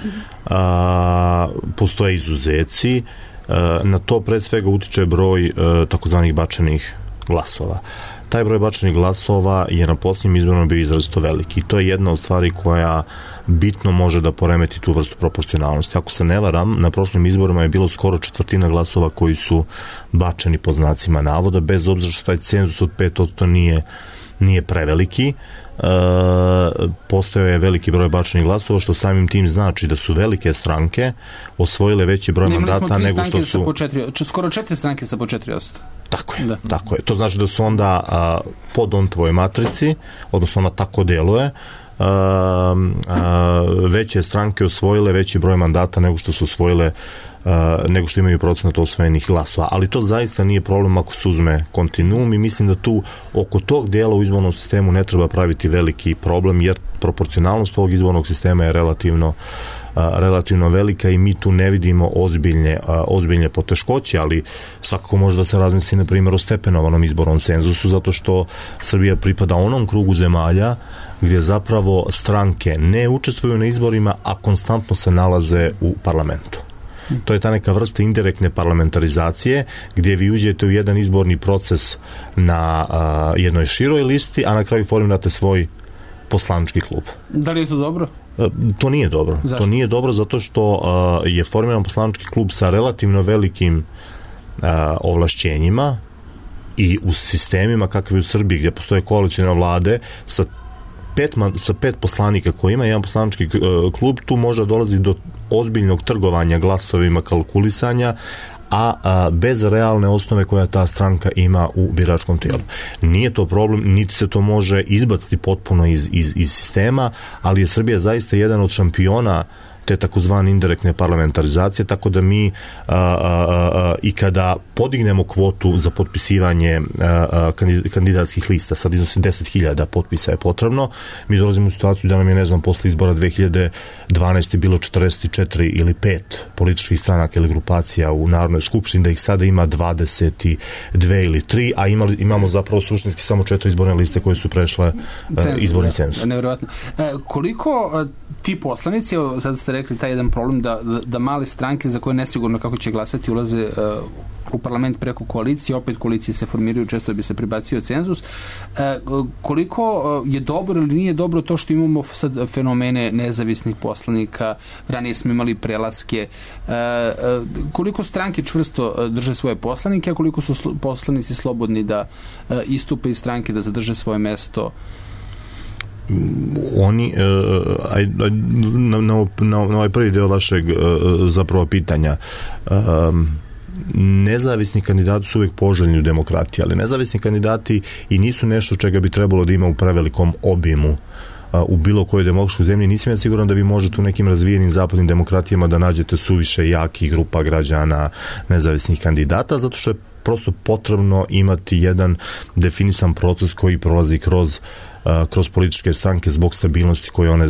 A, postoje izuzeci. A, na to pred svega utiče broj a, takozvanih bačenih glasova. Taj broj bačenih glasova je na posljednjim izborima bio izrazito veliki. I to je jedna od stvari koja bitno može da poremeti tu vrstu proporcionalnosti. Ako se ne varam, na prošlim izborima je bilo skoro četvrtina glasova koji su bačeni po znacima navoda, bez obzira što taj cenzus od pet posto nije nije preveliki. E, postojao je veliki broj bačenih glasova, što samim tim znači da su velike stranke osvojile veći broj ne, mandata nego što su... Po četiri, skoro četiri stranke sa po četiri posto. Tako je, da. tako je. To znači da su onda a, po Dontovoj matrici, odnosno ona tako deluje, a, a, veće stranke osvojile veći broj mandata nego što su osvojile Uh, nego što imaju procenat osvojenih glasova. Ali to zaista nije problem ako se uzme kontinuum i mislim da tu oko tog dijela u izbornom sistemu ne treba praviti veliki problem, jer proporcionalnost ovog izbornog sistema je relativno uh, relativno velika i mi tu ne vidimo ozbiljne, uh, ozbiljne poteškoće, ali svakako može da se razmisli na primjer o stepenovanom izbornom cenzusu, zato što Srbija pripada onom krugu zemalja gdje zapravo stranke ne učestvuju na izborima, a konstantno se nalaze u parlamentu. To je ta neka vrsta indirektne parlamentarizacije gdje vi uđete u jedan izborni proces na a, jednoj široj listi, a na kraju formirate svoj poslanički klub. Da li je to dobro? A, to nije dobro. Zašto? To nije dobro zato što a, je formiran poslanički klub sa relativno velikim a, ovlašćenjima i u sistemima kakve u Srbiji gdje postoje koalicijne vlade sa Pet, sa pet poslanika koji ima jedan poslanički klub, tu možda dolazi do ozbiljnog trgovanja glasovima, kalkulisanja, a, a bez realne osnove koja ta stranka ima u biračkom tijelu. Nije to problem, niti se to može izbaciti potpuno iz, iz, iz sistema, ali je Srbija zaista jedan od šampiona te takozvane indirektne parlamentarizacije, tako da mi a, a, a, i kada podignemo kvotu za potpisivanje a, a, kandidatskih lista, sad iznosi deset hiljada potpisa je potrebno, mi dolazimo u situaciju da nam je, ne znam, posle izbora dve hiljade dvanaeste. bilo četrdeset četiri ili pet političkih stranaka ili grupacija u Narodnoj skupštini, da ih sada ima dvadeset dve ili tri, a imali, imamo zapravo suštinski samo četiri izborne liste koje su prešle Cenzu, izborni cenzus. Nevjerovatno. E, koliko ti poslanici, sad ste rekli taj jedan problem da, da, da male stranke za koje nesigurno kako će glasati ulaze uh, u parlament preko koalicije, opet koalicije se formiraju, često bi se pribacio cenzus. Uh, koliko uh, je dobro ili nije dobro to što imamo sad fenomene nezavisnih poslanika, ranije smo imali prelaske, uh, uh, koliko stranke čvrsto drže svoje poslanike, a koliko su sl- poslanici slobodni da uh, istupe iz stranke, da zadrže svoje mesto? Oni uh, aj, aj, na, na, na ovaj prvi deo vašeg uh, zapravo pitanja, um, nezavisni kandidati su uvijek poželjni u demokratiji, ali nezavisni kandidati i nisu nešto čega bi trebalo da ima u prevelikom obimu u bilo kojoj demokratskoj zemlji. Nisam ja siguran da vi možete u nekim razvijenim zapadnim demokratijama da nađete suviše jakih grupa građana nezavisnih kandidata, zato što je prosto potrebno imati jedan definisan proces koji prolazi kroz kroz političke stranke zbog stabilnosti koje one,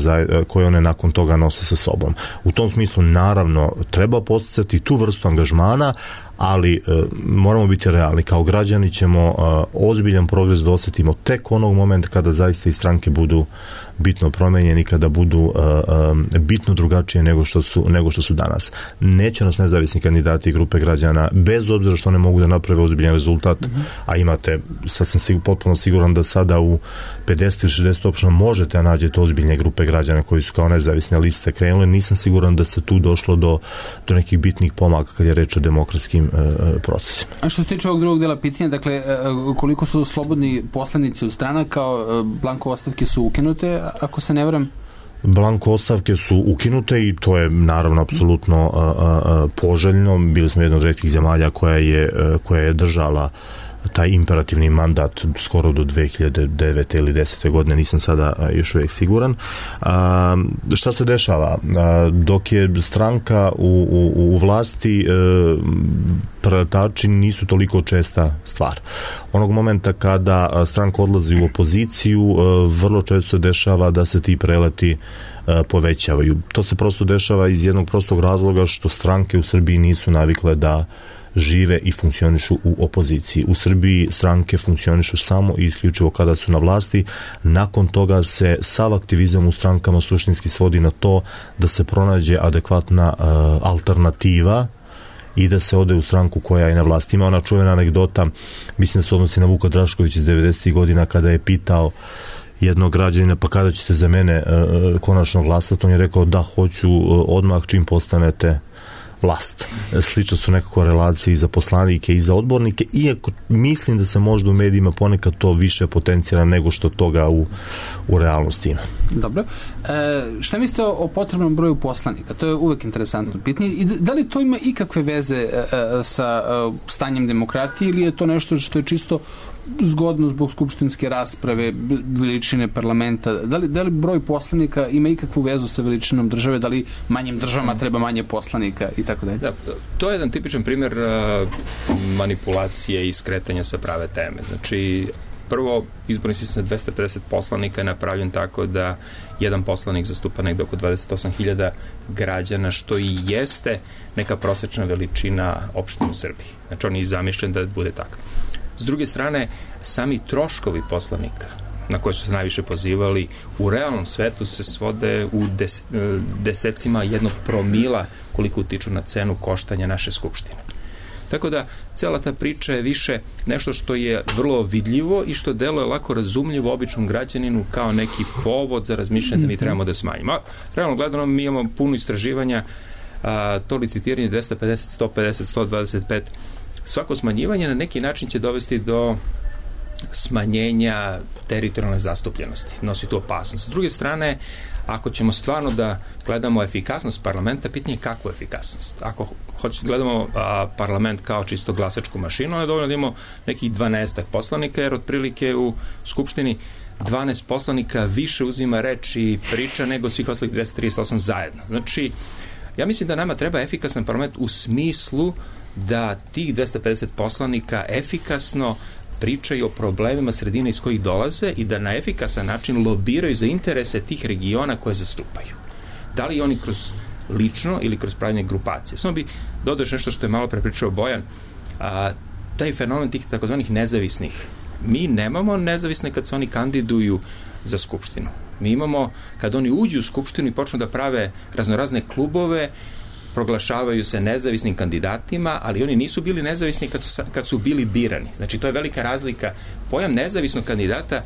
koje one nakon toga nose sa sobom. U tom smislu naravno treba posticati tu vrstu angažmana, ali e, moramo biti realni. Kao građani ćemo e, ozbiljan progres da osjetimo tek onog momenta kada zaista i stranke budu bitno promenjeni, kada budu e, e, bitno drugačije nego što su, nego što su danas. Neće nas nezavisni kandidati i grupe građana, bez obzira što ne mogu da naprave ozbiljan rezultat, mm-hmm. a imate, sad sam sigur, potpuno siguran da sada u pedeset ili šezdeset opština možete da nađete ozbiljne grupe građana koji su kao nezavisne liste krenule. Nisam siguran da se tu došlo do, do nekih bitnih pomaka kad je reč o demokratskim procesima. A što se tiče ovog drugog dela pitanja, dakle, koliko su slobodni poslanici od strana, kao blanko ostavke su ukinute, ako se ne varam? Blanko ostavke su ukinute i to je naravno apsolutno a, a, poželjno. Bili smo jedna od retkih zemalja koja je, koja je držala taj imperativni mandat skoro do dve hiljade devete ili desete godine, nisam sada još uvijek siguran. A, šta se dešava? A, dok je stranka u, u, u vlasti, e, preletači nisu toliko česta stvar. Onog momenta kada stranka odlazi u opoziciju, e, vrlo često se dešava da se ti preleti e, povećavaju. To se prosto dešava iz jednog prostog razloga što stranke u Srbiji nisu navikle da žive i funkcionišu u opoziciji. U Srbiji stranke funkcionišu samo i isključivo kada su na vlasti. Nakon toga se sav aktivizam u strankama suštinski svodi na to da se pronađe adekvatna uh, alternativa i da se ode u stranku koja je na vlasti. Ima ona čuvena anegdota, mislim da se odnosi na Vuka Drašković iz devedesetih godina, kada je pitao jednog građanina, pa kada ćete za mene uh, konačno glasati, on je rekao da hoću uh, odmah čim postanete vlast. Slično su nekako relacije i za poslanike i za odbornike, iako mislim da se možda u medijima ponekad to više potencijira nego što toga u, u realnosti ima. Dobro. E, šta mislite o, o potrebnom broju poslanika? To je uvek interesantno pitanje. I da li to ima ikakve veze e, sa e, stanjem demokratije ili je to nešto što je čisto zgodno zbog skupštinske rasprave, veličine parlamenta? Da li, da li broj poslanika ima ikakvu vezu sa veličinom države? Da li manjim državama treba manje poslanika i tako dalje? Da, to je jedan tipičan primjer uh, manipulacije i skretanja sa prave teme. Znači, prvo, izborni sistem dvesta pedeset poslanika je napravljen tako da jedan poslanik zastupa negde oko dvadeset osam hiljada građana, što i jeste neka prosečna veličina opštine u Srbiji. Znači, on je zamišljen da bude tako. S druge strane, sami troškovi poslanika na koje su se najviše pozivali u realnom svetu se svode u des, desecima jednog promila koliko utiču na cenu koštanja naše skupštine. Tako da, cela ta priča je više nešto što je vrlo vidljivo i što deluje lako razumljivo običnom građaninu kao neki povod za razmišljanje da mi trebamo da smanjimo. Realno gledano, mi imamo puno istraživanja, a, to licitiranje dvesta pedeset, sto pedeset, sto dvadeset pet, svako smanjivanje na neki način će dovesti do smanjenja teritorijalne zastupljenosti. Nosi tu opasnost. S druge strane, ako ćemo stvarno da gledamo efikasnost parlamenta, pitanje je kakvu efikasnost. Ako hoćemo gledamo a, parlament kao čisto glasačku mašinu, je dovoljno da imamo nekih dvanaestak poslanika, jer otprilike u Skupštini dvanaest poslanika više uzima reč i priča nego svih ostalih dvesta trideset osam zajedno. Znači, ja mislim da nama treba efikasan parlament u smislu da tih dvesta pedeset poslanika efikasno pričaju o problemima sredine iz kojih dolaze i da na efikasan način lobiraju za interese tih regiona koje zastupaju. Da li oni kroz lično ili kroz pravljanje grupacije. Samo bi dodao nešto što je malo prepričao Bojan, a, taj fenomen tih takozvanih nezavisnih. Mi nemamo nezavisne kad se oni kandiduju za Skupštinu. Mi imamo, kad oni uđu u Skupštinu i počnu da prave raznorazne klubove, proglašavaju se nezavisnim kandidatima, ali oni nisu bili nezavisni kad su, kad su bili birani. Znači, to je velika razlika. Pojam nezavisnog kandidata,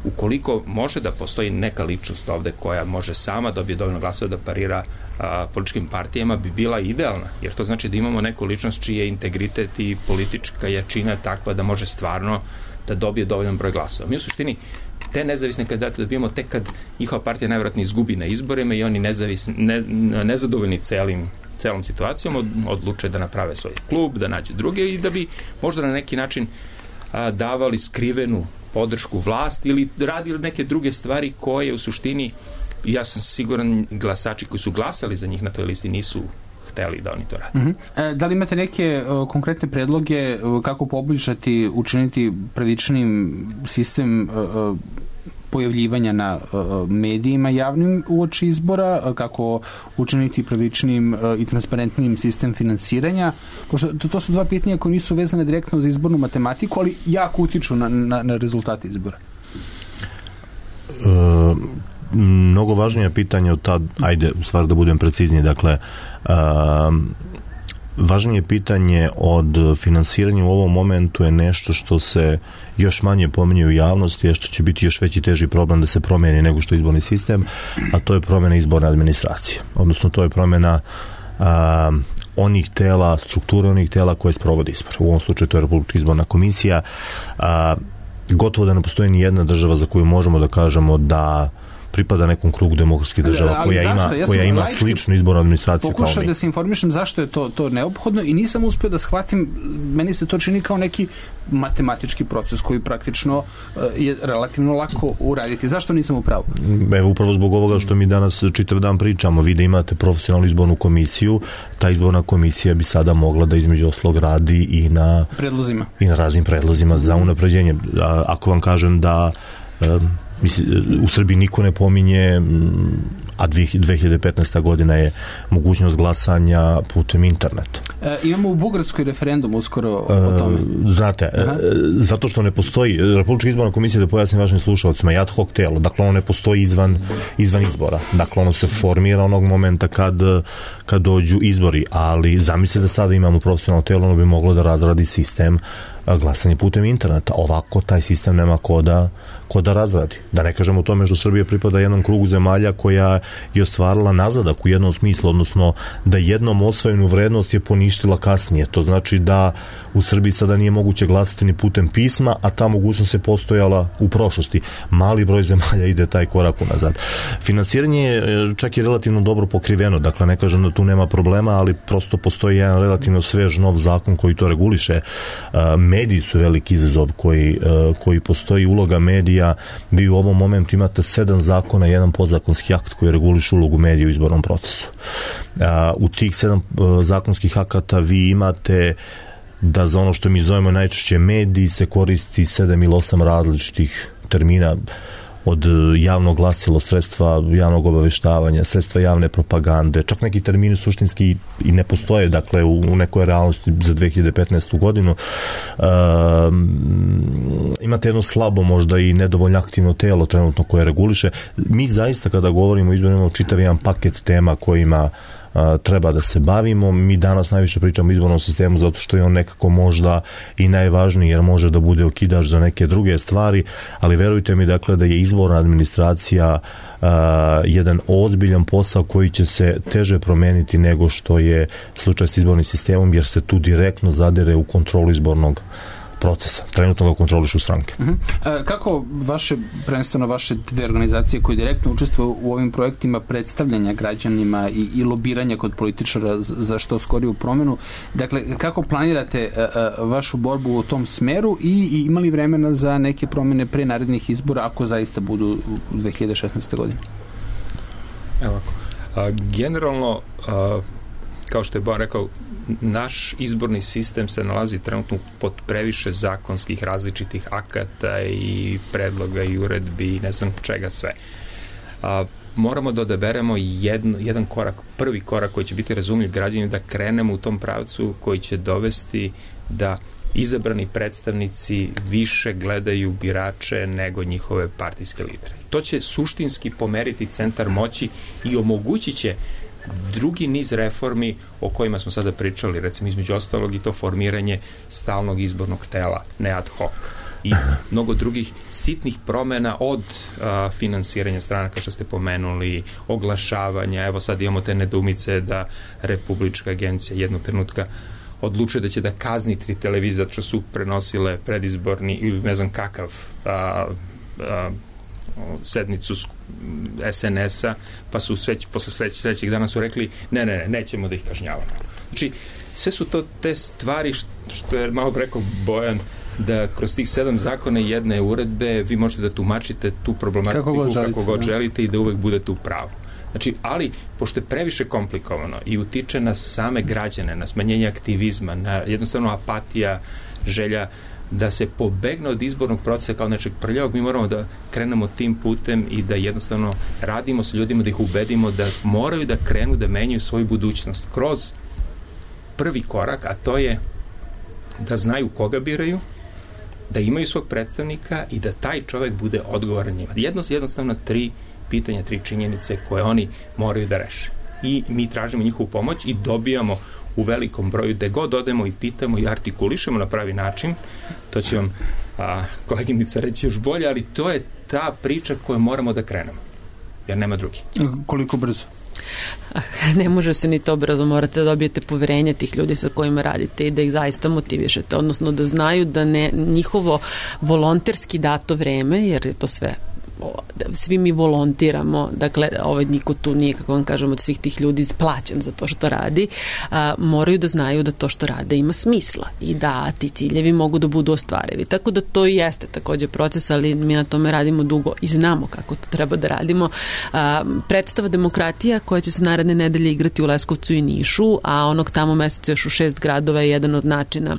ukoliko može da postoji neka ličnost ovde koja može sama dobije dovoljno glasova da parira a, političkim partijama, bi bila idealna, jer to znači da imamo neku ličnost čiji je integritet i politička jačina takva da može stvarno da dobije dovoljan broj glasova. Mi u suštini te nezavisne kandidate dobijemo tek kad njihova partija najvjerojatnije izgubi na izborima i oni nezavisni, ne, nezadovoljni celim celom situacijom odluče da naprave svoj klub, da nađu druge i da bi možda na neki način a, davali skrivenu podršku vlasti ili radili neke druge stvari koje u suštini, ja sam siguran, glasači koji su glasali za njih na toj listi nisu hteli da oni to rade. Uh-huh. E, da li imate neke uh, konkretne predloge uh, kako poboljšati, učiniti pravičnim sistem uh, pojavljivanja na uh, medijima javnim uoči izbora, uh, kako učiniti pravičnim uh, i transparentnim sistem finansiranja? Pošto to, to su dva pitanja koje nisu vezane direktno za izbornu matematiku, ali jako utiču na, na, na rezultate izbora. Uh, mnogo važnije pitanje od tad, ajde, u stvari da budem precizniji, dakle, uh, važnije pitanje od finansiranja u ovom momentu je nešto što se još manje pominje u javnosti, je što će biti još veći teži problem da se promijeni nego što je izborni sistem, a to je promjena izborne administracije. Odnosno, to je promjena uh, onih tela, strukture onih tela koje sprovode izbor. U ovom slučaju to je Republička izborna komisija. Uh, gotovo da ne postoji ni jedna država za koju možemo da kažemo da pripada nekom krugu demokratskih država ali koja zašto? ima, ja koja ima sličnu izbornu administraciju kao mi. Pokušao da se informišem zašto je to, to neophodno i nisam uspio da shvatim, meni se to čini kao neki matematički proces koji praktično uh, je relativno lako uraditi. Zašto nisam u pravu? Evo, upravo zbog ovoga što mi danas čitav dan pričamo. Vi da imate profesionalnu izbornu komisiju, ta izborna komisija bi sada mogla da između oslog radi i na predlozima. I na raznim predlozima za unapređenje. A, ako vam kažem da um, u Srbiji niko ne pominje, a dve hiljade petnaesta godina je mogućnost glasanja putem interneta. E, imamo u Bugarskoj referendum uskoro o tome. E, znate, e, zato što ne postoji Republička izborna komisija, da pojasnim vašim slušalcima, je ad hoc telo, dakle ono ne postoji izvan, izvan izbora. Dakle ono se formira onog momenta kad, kad dođu izbori, ali zamislite da sada imamo profesionalno telo, ono bi moglo da razradi sistem glasanje putem interneta. Ovako taj sistem nema ko da, ko da razradi. Da ne kažemo o tome što Srbija pripada jednom krugu zemalja koja je ostvarila nazadak u jednom smislu, odnosno da jednom osvojenu vrednost je poništila kasnije. To znači da u Srbiji sada nije moguće glasati ni putem pisma, a ta mogućnost je postojala u prošlosti. Mali broj zemalja ide taj korak unazad. Finansiranje je čak i relativno dobro pokriveno, dakle ne kažem da tu nema problema, ali prosto postoji jedan relativno svež nov zakon koji to reguliše. Mediji su veliki izazov koji, koji postoji, uloga medija. Vi u ovom momentu imate sedam zakona, jedan podzakonski akt koji reguliše ulogu medija u izbornom procesu. U tih sedam zakonskih akata vi imate da za ono što mi zovemo najčešće mediji se koristi sedam ili osam različitih termina, od javnog glasilo, sredstva javnog obaveštavanja, sredstva javne propagande, čak neki termini suštinski i ne postoje, dakle, u, u nekoj realnosti za dve hiljade petnaestu godinu. E, imate jedno slabo, možda i nedovoljno aktivno telo trenutno koje reguliše. Mi zaista kada govorimo o izborima, čitav jedan paket tema kojima a, treba da se bavimo. Mi danas najviše pričamo o izbornom sistemu zato što je on nekako možda i najvažniji, jer može da bude okidač za neke druge stvari, ali verujte mi, dakle, da je izborna administracija a, jedan ozbiljan posao koji će se teže promeniti nego što je slučaj s izbornim sistemom, jer se tu direktno zadere u kontrolu izbornog procesa. Trenutno ga kontrolišu stranke. Uh-huh. E, kako vaše, prvenstveno vaše dve organizacije koje direktno učestvuju u ovim projektima predstavljanja građanima i, i lobiranja kod političara za što skoriju promenu, dakle, kako planirate a, a, vašu borbu u tom smeru i, i imali vremena za neke promene pre narednih izbora, ako zaista budu u dve hiljade šesnaeste. godine? Evo ako. A, generalno, a, kao što je Bojan rekao, naš izborni sistem se nalazi trenutno pod previše zakonskih različitih akata i predloga i uredbi i ne znam čega sve. A, moramo da odaberemo jedno, jedan korak, prvi korak koji će biti razumljiv građanima, da krenemo u tom pravcu koji će dovesti da izabrani predstavnici više gledaju birače nego njihove partijske lidere. To će suštinski pomeriti centar moći i omogućit će drugi niz reformi o kojima smo sada pričali, recimo između ostalog i to formiranje stalnog izbornog tela, ne ad hoc, i mnogo drugih sitnih promena od a, finansiranja stranaka što ste pomenuli, oglašavanja. Evo sad imamo te nedoumice da Republička agencija jednog trenutka odlučuje da će da kazni tri televizije što su prenosile predizborni ili ne znam kakav a, a, sednicu es en es-a, pa su sveć, posle sleć, sledećeg dana su rekli ne, ne, ne, nećemo da ih kažnjavamo. Znači, sve su to te stvari što je malo rekao Bojan, da kroz tih sedam zakona i jedne uredbe vi možete da tumačite tu problematiku kako god želite, kako god želite i da uvek budete u pravu. Znači, ali, pošto je previše komplikovano i utiče na same građane, na smanjenje aktivizma, na jednostavno apatija, želja da se pobegne od izbornog procesa kao nečeg prljavog, mi moramo da krenemo tim putem i da jednostavno radimo s ljudima, da ih ubedimo da moraju da krenu da menjaju svoju budućnost kroz prvi korak, a to je da znaju koga biraju, da imaju svog predstavnika i da taj čovek bude odgovoran njima. Jedno, jednostavno tri pitanja, tri činjenice koje oni moraju da reše. I mi tražimo njihovu pomoć i dobijamo u velikom broju, gde god odemo i pitamo i artikulišemo na pravi način. To će vam a, koleginica reći još bolje, ali to je ta priča koju moramo da krenemo, jer nema drugi. Koliko brzo? Ne može se ni to brzo, morate da dobijete poverenje tih ljudi sa kojima radite i da ih zaista motivišete, odnosno da znaju da ne, njihovo volonterski dato vreme, jer je to sve svi mi volontiramo, dakle ovaj niko tu nije, kako vam kažem, od svih tih ljudi isplaćen za to što radi, a, moraju da znaju da to što rade ima smisla i da ti ciljevi mogu da budu ostvarivi. Tako da to i jeste takođe proces, ali mi na tome radimo dugo i znamo kako to treba da radimo. A, predstava Demokratija koja će se naredne nedelje igrati u Leskovcu i Nišu, a onog tamo meseca još u šest gradova je jedan od načina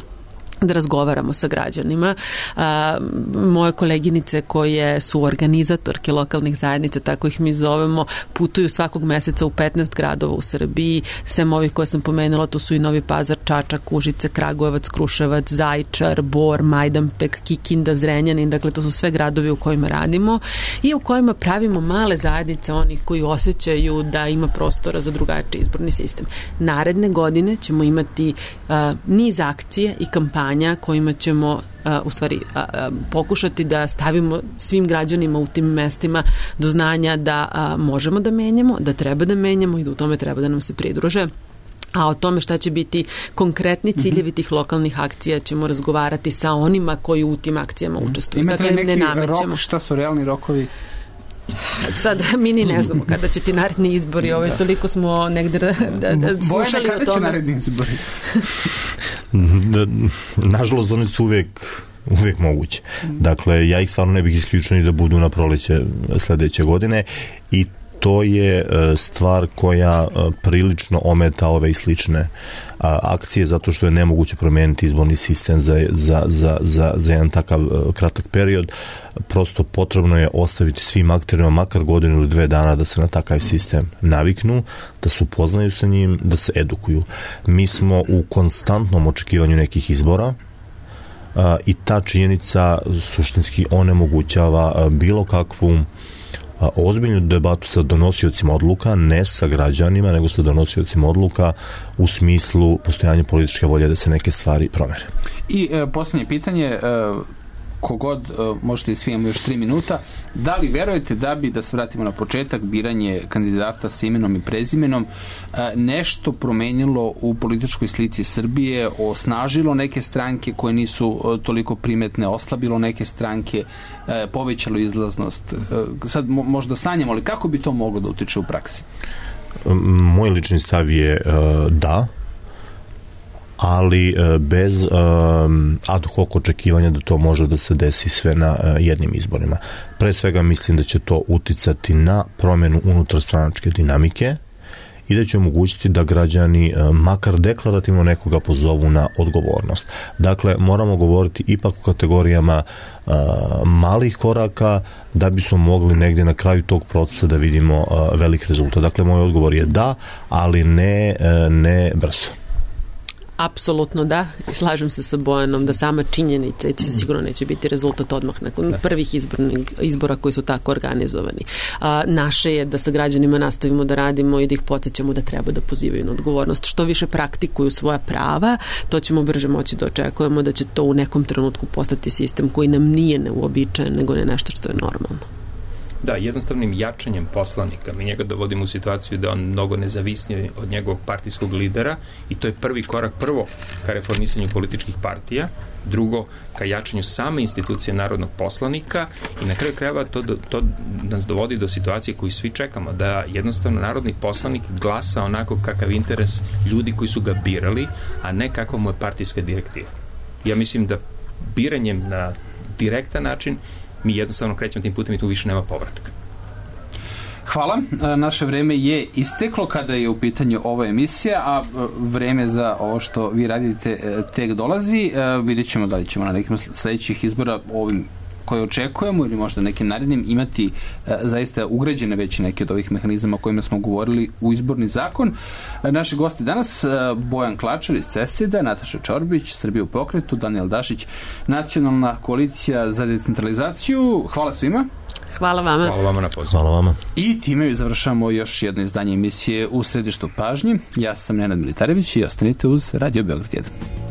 da razgovaramo sa građanima. A, moje koleginice koje su organizatorke lokalnih zajednica, tako ih mi zovemo, putuju svakog meseca u petnaest gradova u Srbiji. Sem ovih koje sam pomenula, to su i Novi Pazar, Čačak, Užice, Kragujevac, Kruševac, Zaječar, Bor, Majdanpek, Kikinda, Zrenjanin. Dakle, to su sve gradovi u kojima radimo i u kojima pravimo male zajednice onih koji osjećaju da ima prostora za drugačiji izborni sistem. Naredne godine ćemo imati a, niz akcije i kampanje obećanja kojima ćemo a, u stvari a, a, pokušati da stavimo svim građanima u tim mestima do znanja da a, možemo da menjamo, da treba da menjamo i da u tome treba da nam se pridruže. A o tome šta će biti konkretni ciljevi tih lokalnih akcija ćemo razgovarati sa onima koji u tim akcijama učestvuju. Imate dakle, li neki ne namećemo. rok, šta su realni rokovi? Sad mi ni ne znamo kada će ti naredni izbori, ovaj, toliko smo negde da, da, da slušali Bojana, o tome. kada će naredni izbori? Nažalost, oni su uvek uvek moguće. Dakle, ja ih stvarno ne bih isključio ni da budu na proleće sledeće godine i to je stvar koja prilično ometa ove i slične akcije, zato što je nemoguće promijeniti izborni sistem za, za, za, za, za jedan takav kratak period. Prosto potrebno je ostaviti svim akterima makar godinu ili dve dana da se na takav sistem naviknu, da se upoznaju sa njim, da se edukuju. Mi smo u konstantnom očekivanju nekih izbora, i ta činjenica suštinski onemogućava bilo kakvu ozbiljnu debatu sa donosiocima odluka, ne sa građanima, nego sa donosiocima odluka u smislu postojanja političke volje da se neke stvari promene. I e, posljednje pitanje, e, kogod, e, možete i svi, imamo još tri minuta, da li verujete da bi, da se vratimo na početak, biranje kandidata sa imenom i prezimenom, e, nešto promenilo u političkoj slici Srbije, osnažilo neke stranke koje nisu e, toliko primetne, oslabilo neke stranke, e, povećalo izlaznost? E, sad mo, možda sanjamo, ali kako bi to moglo da utiče u praksi? Moj lični stav je e, da, ali bez um, ad hoc očekivanja da to može da se desi sve na uh, jednim izborima. Pre svega mislim da će to uticati na promjenu unutarstranačke dinamike i da će omogućiti da građani uh, makar deklarativno nekoga pozovu na odgovornost. Dakle, moramo govoriti ipak o kategorijama uh, malih koraka da bismo mogli negdje na kraju tog procesa da vidimo uh, velik rezultat. Dakle, moj odgovor je da, ali ne, uh, ne brzo. Apsolutno da, slažem se sa Bojanom da sama činjenica i to sigurno neće biti rezultat odmah nakon da. prvih izbornih, izbora koji su tako organizovani. A, naše je da sa građanima nastavimo da radimo i da ih podsjećamo da treba da pozivaju na odgovornost. Što više praktikuju svoja prava, to ćemo brže moći da očekujemo da će to u nekom trenutku postati sistem koji nam nije neuobičajen, nego ne nešto što je normalno. Da, jednostavnim jačanjem poslanika mi njega dovodimo u situaciju da on mnogo nezavisnije od njegovog partijskog lidera i to je prvi korak, prvo ka reformisanju političkih partija, drugo ka jačanju same institucije narodnog poslanika i na kraju krajeva to, to nas dovodi do situacije koju svi čekamo, da jednostavno narodni poslanik glasa onako kakav interes ljudi koji su ga birali, a ne kakva mu je partijska direktiva. Ja mislim da biranjem na direktan način mi jednostavno krećemo tim putem i tu više nema povratka. Hvala. Naše vreme je isteklo kada je u pitanju ova emisija, a vreme za ovo što vi radite tek dolazi. Vidjet ćemo da li ćemo na nekim sledećih izbora ovim koje očekujemo ili možda nekim narednim imati e, zaista ugrađene već neke od ovih mehanizama o kojima smo govorili u izborni zakon. E, naši gosti danas, e, Bojan Klačar iz CESID-a, Nataša Čorbić, Srbija u pokretu, Danijel Dašić, Nacionalna koalicija za decentralizaciju. Hvala svima. Hvala vama. Hvala vama na pozivu. Hvala vama. I time završamo još jedno izdanje emisije U središtu pažnji. Ja sam Nenad Militarević i ostanite uz Radio Beograd jedan.